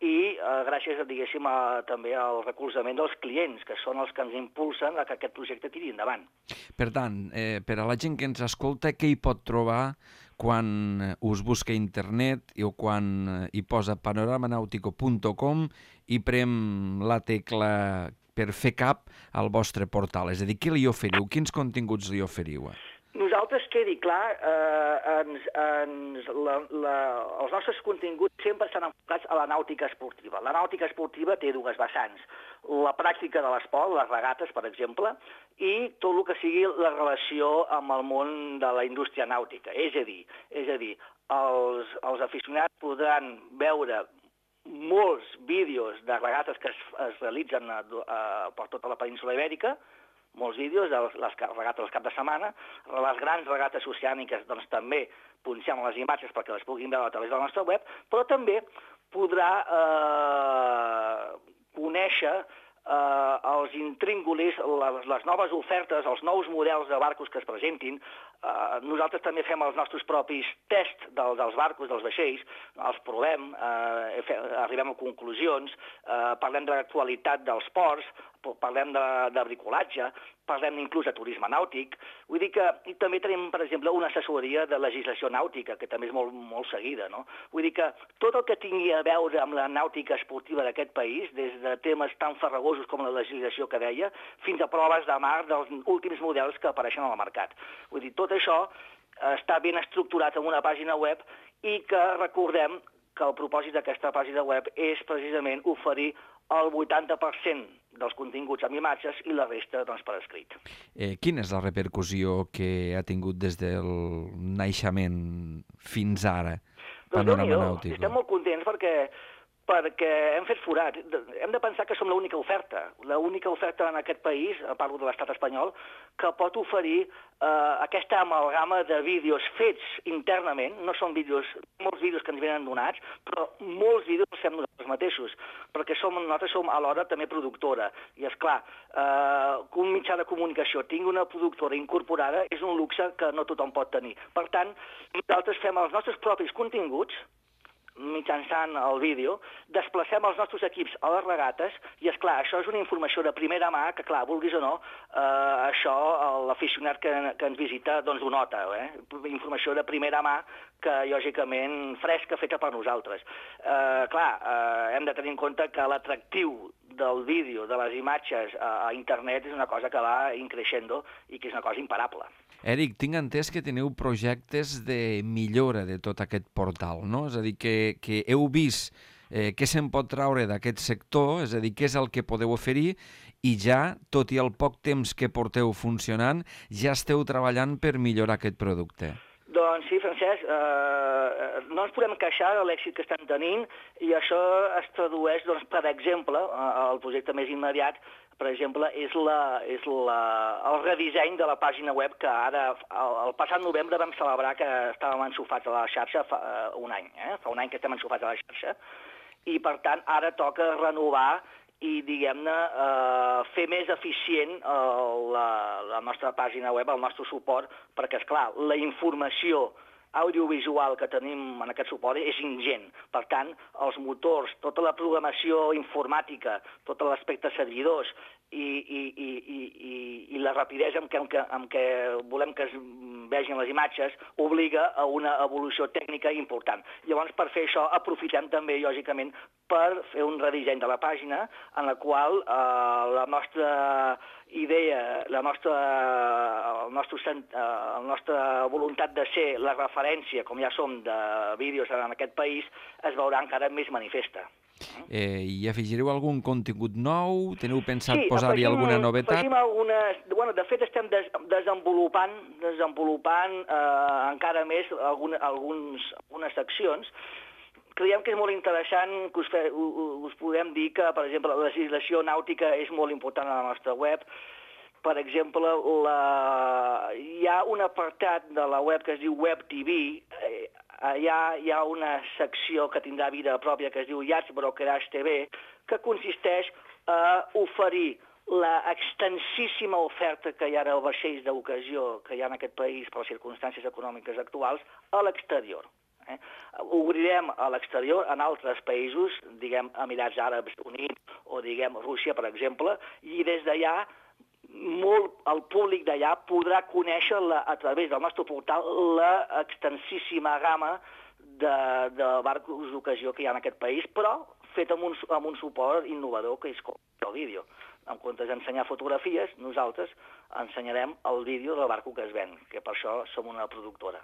[SPEAKER 7] i eh, gràcies, diguéssim, a, també al recolzament dels clients, que són els que ens impulsen a que aquest projecte tiri endavant.
[SPEAKER 2] Per tant, eh, per a la gent que ens escolta, què hi pot trobar quan us busca a internet o quan hi posa panorama nàutico punt com i prem la tecla per fer cap al vostre portal? És a dir, què li oferiu? Quins continguts li oferiu?
[SPEAKER 7] Nosaltres, quedi clar, eh, ens, ens, la, la, els nostres continguts sempre estan enfocats a la nàutica esportiva. La nàutica esportiva té dues vessants. La pràctica de l'esport, les regates, per exemple, i tot el que sigui la relació amb el món de la indústria nàutica. És a dir, és a dir els, els aficionats podran veure molts vídeos de regates que es, es realitzen a, a, per tota la península ibèrica, molts vídeos de les regates del cap de setmana. Les grans regates oceàniques doncs, també punxem les imatges perquè les puguin veure a través de la nostra web, però també podrà eh, conèixer eh, els intríngulis, les, les noves ofertes, els nous models de barcos que es presentin. Eh, nosaltres també fem els nostres propis tests del, dels barcos, dels vaixells, els provem, eh, fe, arribem a conclusions, eh, parlem de l'actualitat dels ports, parlem de, de bricolatge, parlem inclús de turisme nàutic. Vull dir que i també tenim, per exemple, una assessoria de legislació nàutica, que també és molt, molt seguida, no? Vull dir que tot el que tingui a veure amb la nàutica esportiva d'aquest país, des de temes tan farragosos com la legislació que deia, fins a proves de mar dels últims models que apareixen al mercat. Vull dir, tot això està ben estructurat en una pàgina web i que recordem que el propòsit d'aquesta pàgina web és precisament oferir el vuitanta per cent dels continguts amb imatges i la resta doncs, per escrit.
[SPEAKER 2] Eh, quina és la repercussió que ha tingut des del naixement fins ara? Panorama Nàutico.
[SPEAKER 7] Estem molt contents perquè perquè hem fet forat. Hem de pensar que som l'única oferta, l'única oferta en aquest país, parlo de l'estat espanyol, que pot oferir eh, aquesta amalgama de vídeos fets internament, no són vídeos, molts vídeos que ens venen donats, però molts vídeos els fem nosaltres mateixos, perquè som, nosaltres som alhora també productora. I és clar, eh, que un mitjà de comunicació tingui una productora incorporada és un luxe que no tothom pot tenir. Per tant, nosaltres fem els nostres propis continguts, mitjançant el vídeo, desplacem els nostres equips a les regates i, és clar, això és una informació de primera mà que, clar, vulguis o no, eh, això l'aficionat que, que ens visita doncs ho nota, eh? Informació de primera mà que, lògicament, fresca, feta per nosaltres. Eh, clar, eh, hem de tenir en compte que l'atractiu del vídeo, de les imatges a, a internet és una cosa que va increixendo i que és una cosa imparable.
[SPEAKER 2] Eric, tinc entès que teniu projectes de millora de tot aquest portal, no? És a dir, que, que heu vist eh, què se'n pot traure d'aquest sector, és a dir, què és el que podeu oferir, i ja, tot i el poc temps que porteu funcionant, ja esteu treballant per millorar aquest producte.
[SPEAKER 7] Doncs sí, Francesc, eh, no ens podem queixar de l'èxit que estan tenint i això es tradueix, doncs, per exemple, el projecte més immediat, per exemple, és, la, és la, el redisseny de la pàgina web que ara, el, el passat novembre vam celebrar que estàvem enxufats a la xarxa fa uh, un any, eh? Fa un any que estem enxufats a la xarxa, i per tant ara toca renovar i, diguem-ne, eh, fer més eficient eh, la, la nostra pàgina web, el nostre suport, perquè, esclar, la informació audiovisual que tenim en aquest suport és ingent. Per tant, els motors, tota la programació informàtica, tot l'aspecte servidors i, i, i, i, i, i la rapidesa amb què, amb, què, amb què volem que es vegin les imatges obliga a una evolució tècnica important. Llavors, per fer això, aprofitem també, lògicament, per fer un redisseny de la pàgina en la qual eh, la nostra idea, la nostra, el nostre, eh, la nostra voluntat de ser la referència, com ja som, de vídeos en aquest país, es veurà encara més manifesta.
[SPEAKER 2] Eh, I afegireu algun contingut nou? Teniu pensat
[SPEAKER 7] sí,
[SPEAKER 2] posar-hi alguna novetat?
[SPEAKER 7] Sí, algunes... Bueno, de fet, estem des, desenvolupant, desenvolupant eh, encara més algun, alguns, algunes seccions. Creiem que és molt interessant que us, fe, us podem dir que, per exemple, la legislació nàutica és molt important a la nostra web. Per exemple, la... hi ha un apartat de la web que es diu Web T V. Eh, allà hi ha una secció que tindrà vida pròpia que es diu Yachts Brokerage T V, que consisteix a oferir la extensíssima oferta que hi ha de vaixells d'ocasió que hi ha en aquest país per les circumstàncies econòmiques actuals a l'exterior. Eh? Obrirem a l'exterior en altres països, diguem Emirats Àrabs Units o diguem Rússia, per exemple, i des d'allà molt el públic d'allà podrà conèixer la, a través del nostre portal la extensíssima gamma de, de barcos d'ocasió que hi ha en aquest país, però fet amb un, amb un suport innovador que és com el vídeo. En comptes d'ensenyar fotografies, nosaltres ensenyarem el vídeo del barco que es ven, que per això som una productora.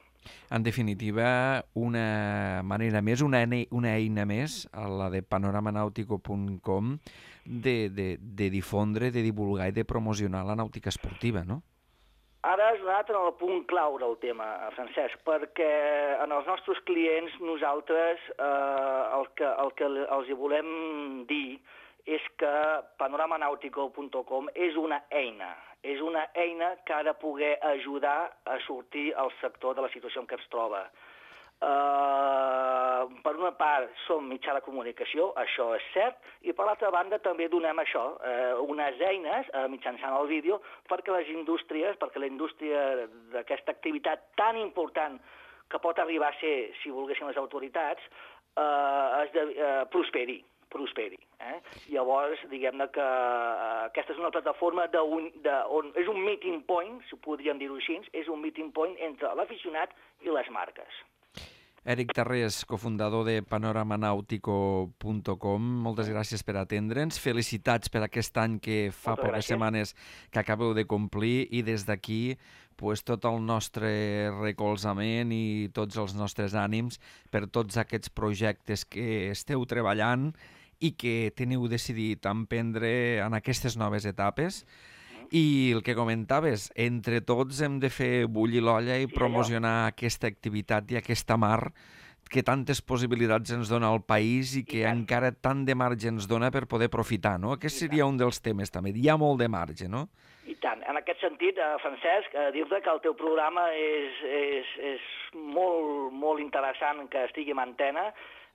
[SPEAKER 2] En definitiva, una manera més, una, una eina més, a la de panorama nàutico punt com, de, de, de difondre, de divulgar i de promocionar la nàutica esportiva, no?
[SPEAKER 7] Ara has donat en el punt clau del tema, Francesc, perquè en els nostres clients nosaltres eh, el, que, el que els hi volem dir és que panorama nàutico punt com és una eina, és una eina que ha de poder ajudar a sortir al sector de la situació en què es troba. Uh, per una part som mitjà de comunicació, això és cert, i per l'altra banda també donem això, uh, unes eines uh, mitjançant el vídeo perquè les indústries, perquè la indústria d'aquesta activitat tan important que pot arribar a ser, si volguessin les autoritats, uh, es de, uh, prosperi. prosperi. Eh? Llavors, diguem-ne que uh, aquesta és una plataforma de un, de, on és un meeting point, si podríem dir-ho així, és un meeting point entre l'aficionat i les marques.
[SPEAKER 2] Èric Tarrés, cofundador de panorama nàutico punt com, moltes gràcies per atendre'ns. Felicitats per aquest any que fa
[SPEAKER 7] moltes
[SPEAKER 2] poques
[SPEAKER 7] gràcies.
[SPEAKER 2] setmanes que acabeu de complir i des d'aquí pues, tot el nostre recolzament i tots els nostres ànims per tots aquests projectes que esteu treballant i que teniu decidit emprendre en aquestes noves etapes. I el que comentaves, entre tots hem de fer bullir l'olla i promocionar aquesta activitat i aquesta mar que tantes possibilitats ens dona al país i que encara tant de marge ens dona per poder aprofitar, no? Aquest seria un dels temes també. Hi ha molt de marge, no?
[SPEAKER 7] I tant. En aquest sentit, eh, Francesc, eh, dir-te que el teu programa és, és, és molt, molt interessant que estigui en antena.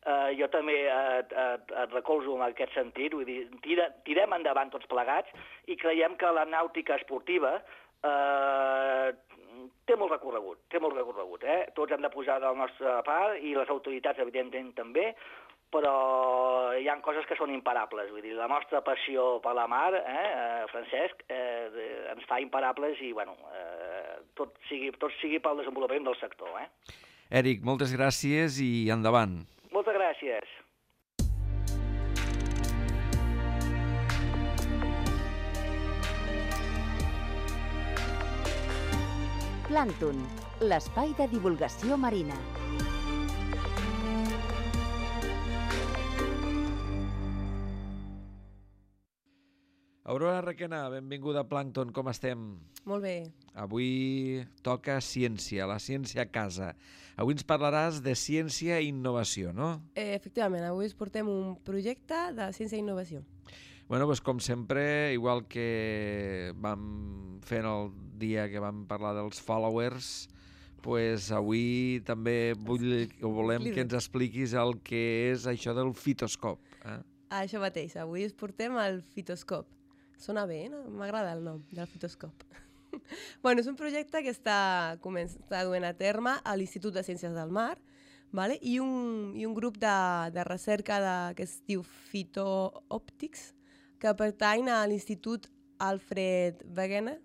[SPEAKER 7] Uh, jo també et, et, et recolzo en aquest sentit, vull dir, tira, tirem endavant tots plegats i creiem que la nàutica esportiva uh, té molt recorregut, té molt recorregut, eh? Tots hem de posar de la nostra part i les autoritats, evidentment, també, però hi ha coses que són imparables, vull dir, la nostra passió per la mar, eh, Francesc, eh, ens fa imparables i, bueno, eh, tot, sigui, tot sigui pel desenvolupament del sector, eh?
[SPEAKER 2] Èric, moltes gràcies i endavant.
[SPEAKER 7] Moltes gràcies.
[SPEAKER 1] Plàncton, l'espai de divulgació marina.
[SPEAKER 2] Aurora Requena, benvinguda a Plàncton, com estem?
[SPEAKER 8] Molt bé.
[SPEAKER 2] Avui toca ciència, la ciència a casa. Avui ens parlaràs de ciència i innovació, no?
[SPEAKER 8] Eh, efectivament, avui us portem un projecte de ciència i innovació.
[SPEAKER 2] Bueno, doncs com sempre, igual que vam fer en el dia que vam parlar dels followers, pues avui també vull, o volem que ens expliquis el que és això del fitoscop. Eh?
[SPEAKER 8] Ah, això mateix, avui us portem el fitoscop. Sona bé, no? M'agrada el nom del fitoscop. Bueno, és un projecte que està, està duent a terme a l'Institut de Ciències del Mar, vale? I, un, i un grup de, de recerca de, que es diu Phyto-Optics, que pertany a l'Institut Alfred Wegener,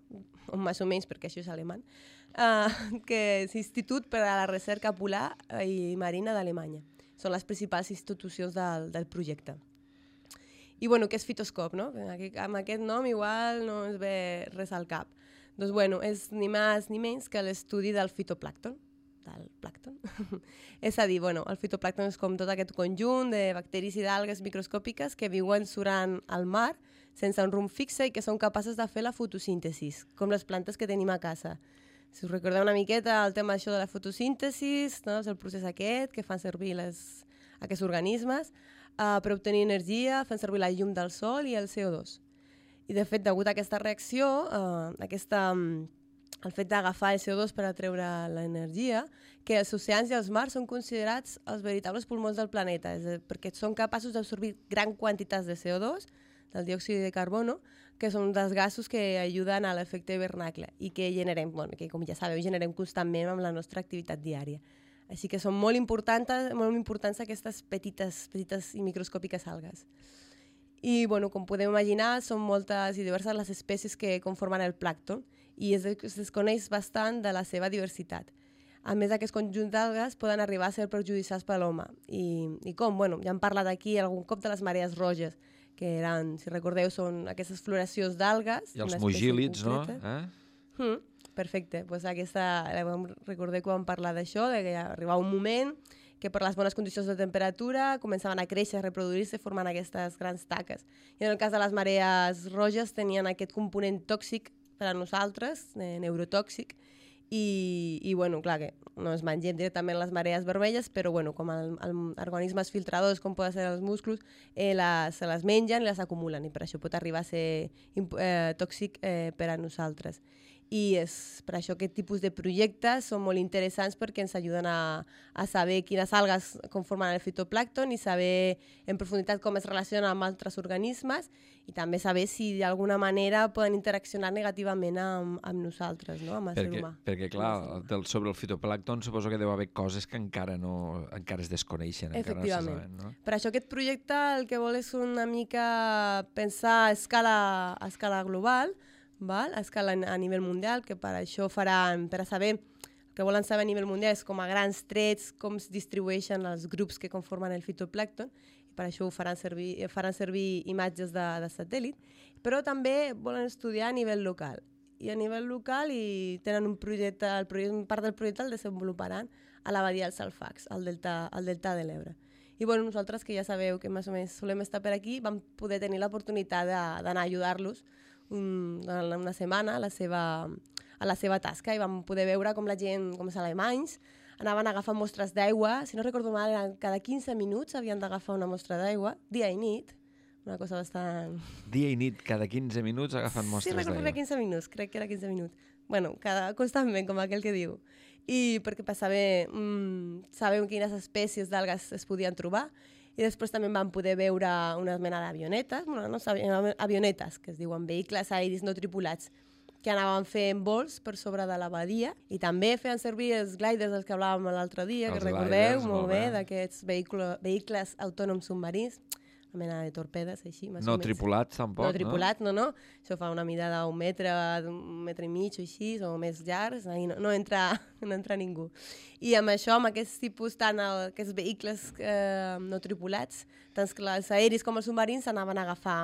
[SPEAKER 8] o més o menys perquè això és alemany, uh, que és Institut per a la Recerca Polar i Marina d'Alemanya. Són les principals institucions del, del projecte. I bueno, què és fitoscop, no? Amb aquest nom igual no ens ve res al cap. Doncs bueno, és ni més ni menys que l'estudi del fitoplàncton, del plàncton. És a dir, bueno, el fitoplàncton és com tot aquest conjunt de bacteris i d'algues microscòpiques que viuen surant al mar sense un rumb fixe i que són capaces de fer la fotosíntesi, com les plantes que tenim a casa. Si us recordeu una miqueta el tema això de la fotosíntesi, no? És el procés aquest que fan servir les, aquests organismes uh, per obtenir energia, fan servir la llum del sol i el C O dos. I de fet, degut a aquesta reacció, uh, aquesta, um, el fet d'agafar el C O dos per atreure l'energia, que els oceans i els mars són considerats els veritables pulmons del planeta, és a dir, perquè són capaços d'absorbir gran quantitats de C O dos, del diòxid de carbono, que són dels gasos que ajuden a l'efecte hivernacle i que generem, bueno, que com ja sabeu, generem constantment amb la nostra activitat diària. Així que són molt importants, molt importants aquestes petites, petites i microscòpiques algues. I, bueno, com podem imaginar, són moltes i diverses les espècies que conformen el plàncton i es, es desconeix bastant de la seva diversitat. A més, aquests conjunts d'algues poden arribar a ser perjudicials per l'home. I, I com? Bueno, ja hem parlat aquí algun cop de les marees roges, que eren, si recordeu, són aquestes floracions d'algues.
[SPEAKER 2] I els mugílids, no? Eh?
[SPEAKER 8] Mm, perfecte. Pues aquesta, recordeu que vam parlar d'això, de que arribava un moment que per les bones condicions de temperatura començaven a créixer, a reproduir-se, formant aquestes grans taques. I en el cas de les marees roges tenien aquest component tòxic per a nosaltres, eh, neurotòxic, i, i bueno, clar que no es mengem directament les marees vermelles, però bueno, com els organismes filtradors, com poden ser els musclos, eh, les, se les mengen i les acumulen, i per això pot arribar a ser eh, tòxic eh, per a nosaltres. I és per això aquest tipus de projectes són molt interessants perquè ens ajuden a, a saber quines algues conformen el fitoplàncton i saber en profunditat com es relacionen amb altres organismes i també saber si d'alguna manera poden interaccionar negativament amb, amb nosaltres, no? Amb el
[SPEAKER 2] perquè,
[SPEAKER 8] ser humà.
[SPEAKER 2] Perquè, clar, del, sobre el fitoplàncton suposo que deu haver coses que encara no encara es desconeixen.
[SPEAKER 8] Efectivament.
[SPEAKER 2] Encara no se saben, no?
[SPEAKER 8] Per això aquest projecte el que vol és una mica pensar a escala, a escala global, val? A escala a nivell mundial, que per això faran, per a saber, el que volen saber a nivell mundial és com a grans trets com es distribueixen els grups que conformen el fitoplàncton, i per això ho faran servir, faran servir imatges de, de satèl·lit, però també volen estudiar a nivell local. I a nivell local i tenen un projecte, el projecte, part del projecte el desenvoluparan a la badia dels Alfacs, al delta, al delta de l'Ebre. I bueno, nosaltres, que ja sabeu que més o menys solem estar per aquí, vam poder tenir l'oportunitat d'anar a ajudar-los Un, una setmana a la, seva, a la seva tasca i vam poder veure com la gent, com els alemanys, anaven a agafar mostres d'aigua, si no recordo mal, cada quinze minuts havien d'agafar una mostra d'aigua, dia i nit, una cosa bastant...
[SPEAKER 2] Dia i nit, cada quinze minuts agafant mostres d'aigua.
[SPEAKER 8] Sí, recordo quinze minuts, crec que era quinze minuts. Bueno, cada, constantment, com aquell que diu. I perquè per saber, mm, saber quines espècies d'algues es podien trobar. I després també vam poder veure una mena d'avionetes, bueno, no, avionetes, que es diuen vehicles aeris no tripulats, que anaven fent vols per sobre de la badia i també feien servir els gliders dels que hablàvem l'altre dia, els que recordeu gliders, molt bé, bé. D'aquests vehicles autònoms submarins, una mena de torpedes, així, més
[SPEAKER 2] no
[SPEAKER 8] o menys.
[SPEAKER 2] tripulats, tampoc,
[SPEAKER 8] no? No tripulats, no, no. Això fa una mida d'un metre, d'un metre i mig o així, o més llargs, no, no, entra, no entra ningú. I amb això, amb aquests tipus, tant el, aquests vehicles eh, no tripulats, tant els aeris com els submarins anaven a agafar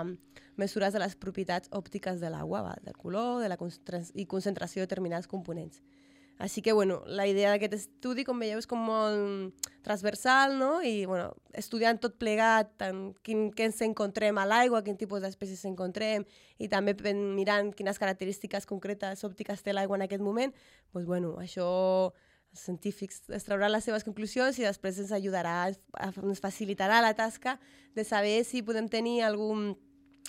[SPEAKER 8] mesures de les propietats òptiques de l'aigua, del color de la concentració i concentració de determinats components. Així que, bueno, la idea d'aquest estudi, com veieu, és com molt transversal, no? I, bueno, estudiant tot plegat, tant quin, què ens encontrem a l'aigua, quin tipus d'espècies encontrem, i també mirant quines característiques concretes òptiques té l'aigua en aquest moment, doncs, bueno, això els científics extrauran les seves conclusions i després ens ajudarà, ens facilitarà la tasca de saber si podem tenir algun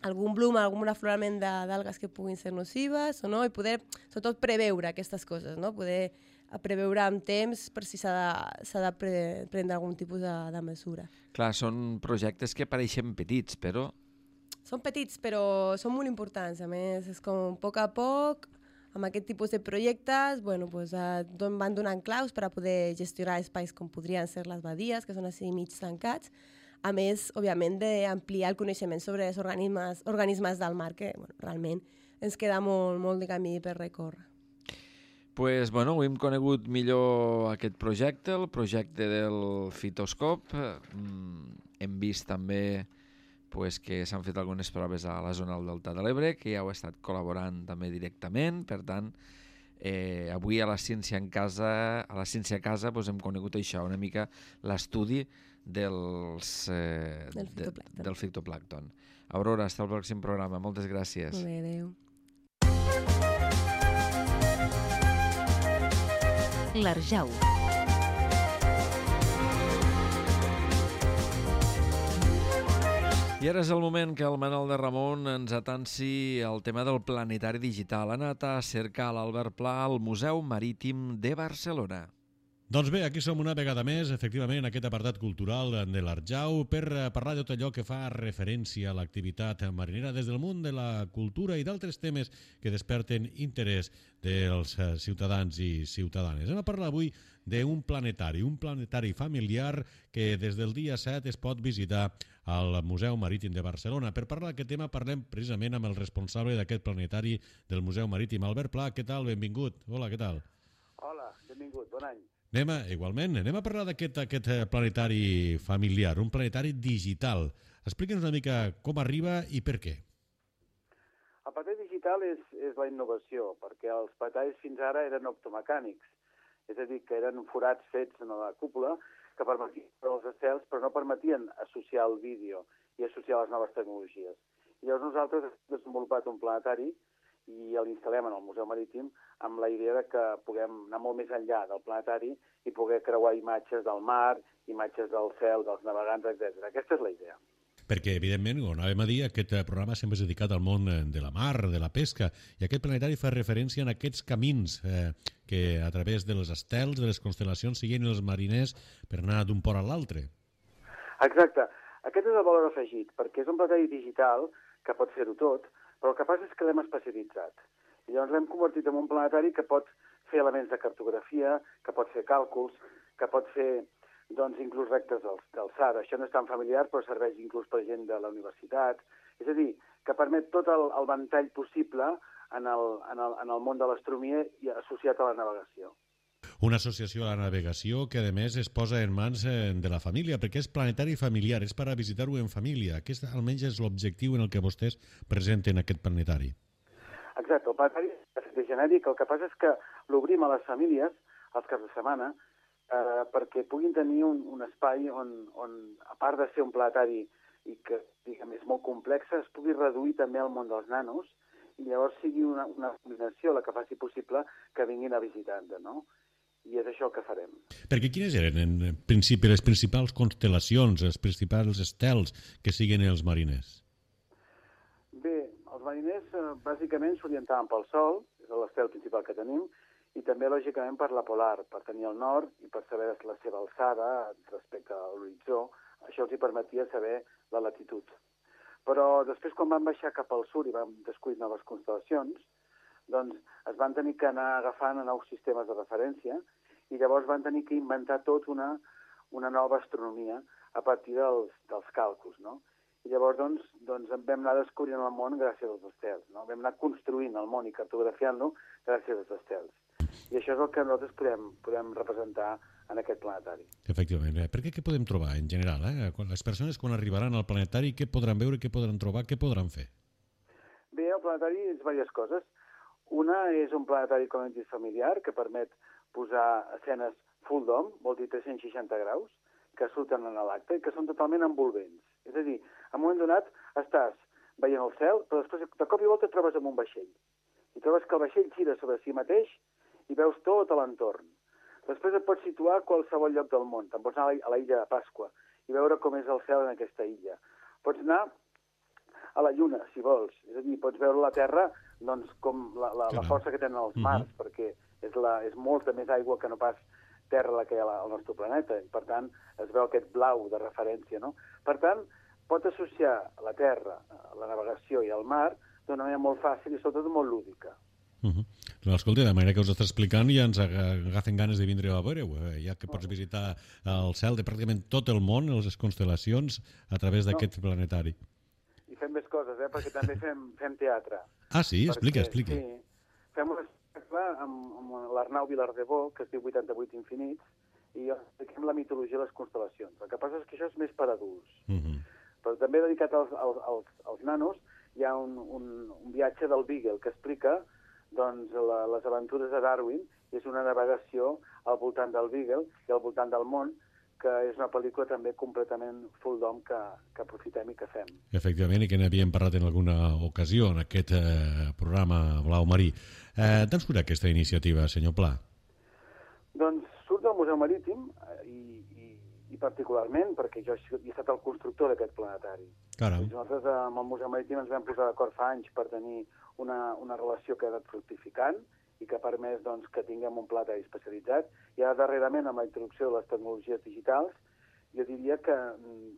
[SPEAKER 8] algun bloom, algun aflorament d'algues que puguin ser nocives o no, i poder, sobretot, preveure aquestes coses, no? Poder preveure amb temps per si s'ha de, de pre, prendre algun tipus de, de mesura.
[SPEAKER 2] Clar, són projectes que pareixen petits, però...
[SPEAKER 8] Són petits, però són molt importants. A més, és com a poc a poc, amb aquest tipus de projectes, bueno, pues, van donant claus per a poder gestionar espais com podrien ser les badies, que són així mig tancats, a més, òbviament, d'ampliar el coneixement sobre els organismes, organismes del mar, que bueno, realment ens queda molt, molt de camí per recórrer.
[SPEAKER 2] Pues, bueno, ho hem conegut millor aquest projecte, el projecte del Fitoscop. Mm, hem vist també pues, que s'han fet algunes proves a la zona del Delta de l'Ebre, que ja heu estat col·laborant també directament. Per tant, eh, avui a la Ciència en Casa, a la Ciència a Casa pues, hem conegut això, una mica l'estudi dels, eh,
[SPEAKER 8] del fitoplàncton.
[SPEAKER 2] De, del fitoplàncton. Aurora, hasta el pròxim programa. Moltes gràcies.
[SPEAKER 8] Molt bé, adéu.
[SPEAKER 1] L'Arjau.
[SPEAKER 2] I ara és el moment que el Manel de Ramon ens atansi el tema del planetari digital. Ha anat a cercar l'Albert Pla al Museu Marítim de Barcelona.
[SPEAKER 9] Doncs bé, aquí som una vegada més, efectivament, en aquest apartat cultural de l'Arjau, per parlar de tot allò que fa referència a l'activitat marinera des del món de la cultura i d'altres temes que desperten interès dels ciutadans i ciutadanes. Hem de parlar avui d'un planetari, un planetari familiar que des del dia set es pot visitar al Museu Marítim de Barcelona. Per parlar d'aquest tema parlem precisament amb el responsable d'aquest planetari del Museu Marítim, Albert Pla. Què tal? Benvingut. Hola, què tal?
[SPEAKER 10] Hola, benvingut, bon any.
[SPEAKER 9] Anem a, igualment, anem a parlar d'aquest aquest planetari familiar, un planetari digital. Explica'ns una mica com arriba i per què.
[SPEAKER 10] El planetari digital és, és la innovació, perquè els planetaris fins ara eren optomecànics, és a dir, que eren forats fets en la cúpula que permetien els estels, però no permetien associar el vídeo i associar les noves tecnologies. I llavors nosaltres hem desenvolupat un planetari i l'instal·lem en el Museu Marítim amb la idea de que puguem anar molt més enllà del planetari i poder creuar imatges del mar, imatges del cel, dels navegants, etcètera. Aquesta és la idea.
[SPEAKER 9] Perquè, evidentment, com anàvem a dir, aquest programa sempre és dedicat al món de la mar, de la pesca, i aquest planetari fa referència a aquests camins eh, que a través de les estels, de les constel·lacions, siguen els mariners per anar d'un port a l'altre.
[SPEAKER 10] Exacte. Aquest és el valor afegit, perquè és un planetari digital que pot fer-ho tot, però el que passa és que l'hem especialitzat. I llavors l'hem convertit en un planetari que pot fer elements de cartografia, que pot fer càlculs, que pot fer doncs, inclús rectes d'alçada. Això no és tan familiar, però serveix inclús per gent de la universitat. És a dir, que permet tot el, el ventall possible en el, en, el, en el món de l'astronomia i associat a la navegació.
[SPEAKER 9] Una associació a la navegació que, a més, es posa en mans de la família, perquè és planetari familiar, és per a visitar-ho en família. Aquest, almenys, és l'objectiu en el que vostès presenten aquest planetari.
[SPEAKER 10] Exacte, el planetari és genèric. El que passa és que l'obrim a les famílies els caps de setmana eh, perquè puguin tenir un, un espai on, on, a part de ser un planetari i que, diguem, és molt complex, es pugui reduir també al món dels nanos i llavors sigui una, una combinació la que faci possible que vinguin a visitar-nos, no? I és això que farem.
[SPEAKER 9] Perquè quines eren, en principi, les principals constel·lacions, els principals estels que siguen els mariners?
[SPEAKER 10] Bé, els mariners eh, bàsicament s'orientaven pel Sol, és l'estel principal que tenim, i també, lògicament, per la polar, per tenir el nord i per saber la seva alçada respecte a l'horitzó. Això els hi permetia saber la latitud. Però després, quan van baixar cap al sud i van descobrir noves constel·lacions, doncs es van tenir que anar agafant a nous sistemes de referència i llavors van tenir que inventar tot una, una nova astronomia a partir dels, dels càlculs, no? I llavors, doncs, doncs vam anar descobrint el món gràcies als estels, no? Vam anar construint el món i cartografiant-lo gràcies als estels. I això és el que nosaltres podem, podem representar en aquest planetari.
[SPEAKER 9] Efectivament. Per què què podem trobar, en general? Eh? Les persones, quan arribaran al planetari, què podran veure, què podran trobar, què podran fer?
[SPEAKER 10] Bé, el planetari és diverses coses. Una és un planetari, com hem dit, familiar, que permet posar escenes full dome, vol dir tres-cents seixanta graus, que surten en l'acte i que són totalment envolvents. És a dir, en un moment donat estàs veient el cel, però després de cop i volta et trobes amb un vaixell. I trobes que el vaixell gira sobre si mateix i veus tot a l'entorn. Després et pots situar a qualsevol lloc del món. Te'n pots anar a la illa de Pasqua i veure com és el cel en aquesta illa. Pots anar a la Lluna, si vols. És a dir, pots veure la Terra doncs, com la, la, la força que tenen els mars, uh-huh. perquè és, la, és molta més aigua que no pas terra la que hi ha al nostre planeta. I, per tant, es veu aquest blau de referència. No? Per tant, pot associar la Terra, la navegació i el mar d'una manera molt fàcil i sobretot molt lúdica.
[SPEAKER 9] Uh -huh. Escolta, de manera que us està explicant ja ens agafen ganes de vindre a veure-ho, ja que pots visitar el cel de pràcticament tot el món, les constel·lacions, a través d'aquest no. planetari.
[SPEAKER 10] I fem més coses, eh? Perquè també fem, fem teatre.
[SPEAKER 9] Ah, sí?
[SPEAKER 10] Perquè,
[SPEAKER 9] explica, explica.
[SPEAKER 10] Sí, fem un espectacle amb, amb l'Arnau Vilardebó, que es diu vuitanta-vuit infinits, i expliquem la mitologia de les constel·lacions. El que passa és que això és més per adults. Uh -huh. Però també dedicat als, als, als, als nanos hi ha un, un, un viatge del Beagle que explica doncs, la, les aventures de Darwin, i és una navegació al voltant del Beagle i al voltant del món, que és una pel·lícula també completament full dome que, que aprofitem i que fem.
[SPEAKER 9] Efectivament, i que n'havíem parlat en alguna ocasió en aquest eh, programa Blau Marí. Eh, D'on surt aquesta iniciativa, senyor Pla?
[SPEAKER 10] Doncs surt del Museu Marítim i, i, i particularment perquè jo he estat el constructor d'aquest planetari.
[SPEAKER 9] Caram.
[SPEAKER 10] Nosaltres amb el Museu Marítim ens vam posar d'acord fa anys per tenir una, una relació que ha anat fructificant i que ha permès doncs, que tinguem un planetari especialitzat. I ara darrerament, amb la introducció de les tecnologies digitals, jo diria que,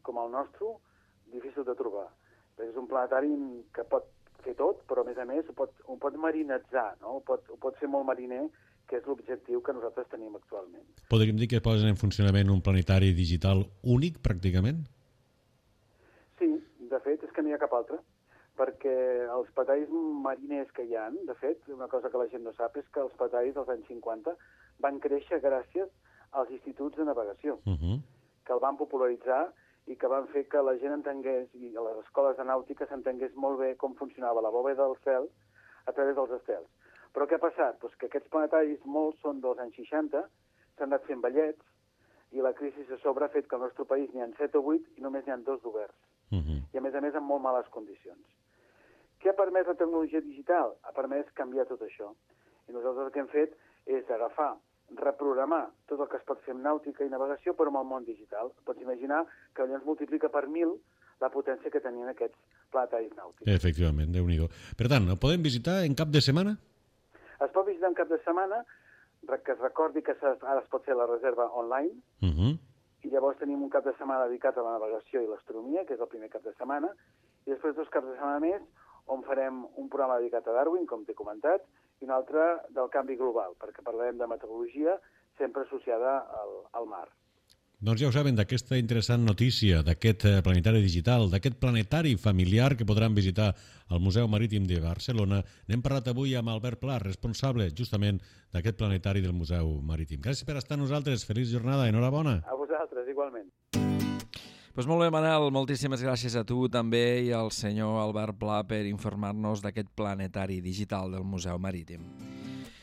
[SPEAKER 10] com el nostre, difícil de trobar. És un planetari que pot fer tot, però a més a més ho pot, ho pot marinitzar, no? ho, pot, ho pot fer molt mariner, que és l'objectiu que nosaltres tenim actualment.
[SPEAKER 9] Podríem dir que posen en funcionament un planetari digital únic, pràcticament?
[SPEAKER 10] Sí, de fet, és que no hi ha cap altre, perquè els planetaris mariners que hi ha, de fet, una cosa que la gent no sap és que els planetaris dels anys cinquanta van créixer gràcies als instituts de navegació, uh-huh. que el van popularitzar i que van fer que la gent entengués, i a les escoles de nàutica s'entengués molt bé com funcionava la bòveda del cel a través dels estels. Però què ha passat? Pues que aquests planetaris, molts són dels anys seixanta, s'han anat fent vellets, i la crisi a sobre ha fet que al nostre país n'hi ha set o vuit i només n'hi ha dos d'oberts. Uh-huh. I a més a més en molt males condicions. Què ha permès la tecnologia digital? Ha permès canviar tot això. I nosaltres el que hem fet és agafar, reprogramar tot el que es pot fer amb nàutica i navegació, però amb el món digital. Pots imaginar que llavors multiplica per mil la potència que tenien aquests planetaris nàutics.
[SPEAKER 9] Efectivament, Déu-n'hi-do. Per tant, el podem visitar en cap de setmana?
[SPEAKER 10] Es pot visitar en cap de setmana, que es recordi que ara es pot fer la reserva online, uh-huh. i llavors tenim un cap de setmana dedicat a la navegació i l'astronomia, que és el primer cap de setmana, i després dos caps de setmana més on farem un programa dedicat a Darwin, com t'he comentat, i un altre del canvi global, perquè parlarem de meteorologia sempre associada al, al mar.
[SPEAKER 9] Doncs ja ho saben, d'aquesta interessant notícia, d'aquest planetari digital, d'aquest planetari familiar que podran visitar al Museu Marítim de Barcelona. N'hem parlat avui amb Albert Pla, responsable justament d'aquest planetari del Museu Marítim. Gràcies per estar amb nosaltres. Feliç jornada. Enhorabona.
[SPEAKER 10] A vosaltres, igualment.
[SPEAKER 2] Pues molt bé, Manel, moltíssimes gràcies a tu també i al senyor Albert Pla per informar-nos d'aquest planetari digital del Museu Marítim.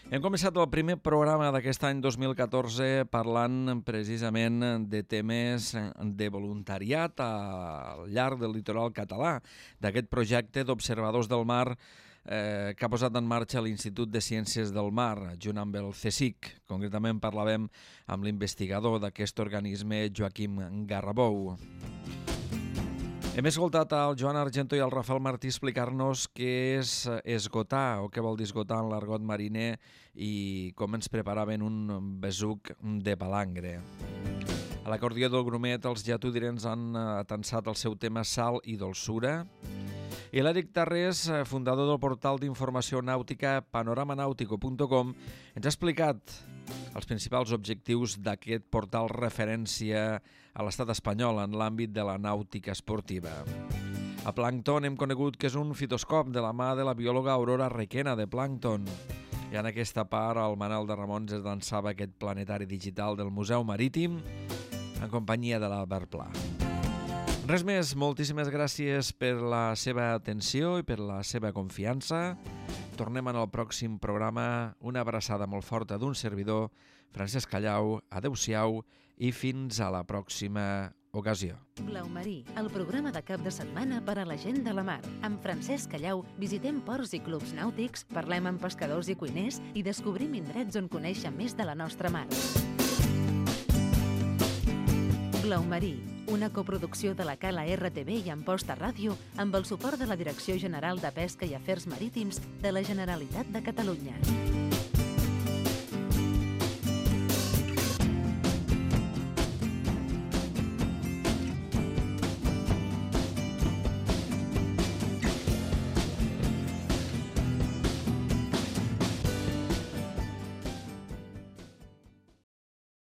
[SPEAKER 2] Hem començat el primer programa d'aquest any dos mil catorze parlant precisament de temes de voluntariat al llarg del litoral català, d'aquest projecte d'observadors del mar eh, que ha posat en marxa l'Institut de Ciències del Mar, junt amb el CSIC. Concretament parlàvem amb l'investigador d'aquest organisme, Joaquim Garrabou. Hem escoltat al Joan Argento i al Rafael Martí explicar-nos què és esgotar o què vol dir esgotar en l'argot mariner i com ens preparaven un besuc de palangre. A l'acordió del Grumet els lletudirens han atensat el seu tema sal i dolçura. I l'Eric Tarrés, fundador del portal d'informació nàutica panoramanautico punt com, ens ha explicat els principals objectius d'aquest portal referència a l'estat espanyol en l'àmbit de la nàutica esportiva. A Plàncton hem conegut que és un fitoscop de la mà de la biòloga Aurora Requena de Plàncton. I en aquesta part el Manel de Ramons es llançava aquest planetari digital del Museu Marítim en companyia de l'Albert Pla. Res més, moltíssimes gràcies per la seva atenció i per la seva confiança. Tornem en el pròxim programa. Una abraçada molt forta d'un servidor, Francesc Callau, adeu-siau i fins a la pròxima ocasió.
[SPEAKER 1] Blau Marí, el programa de cap de setmana per a la gent de la mar. Amb Francesc Callau visitem ports i clubs nàutics, parlem amb pescadors i cuiners i descobrim indrets on conèixer més de la nostra mar. Blau Marí, una coproducció de la Cala R T V i Amposta Ràdio amb el suport de la Direcció General de Pesca i Afers Marítims de la Generalitat de Catalunya.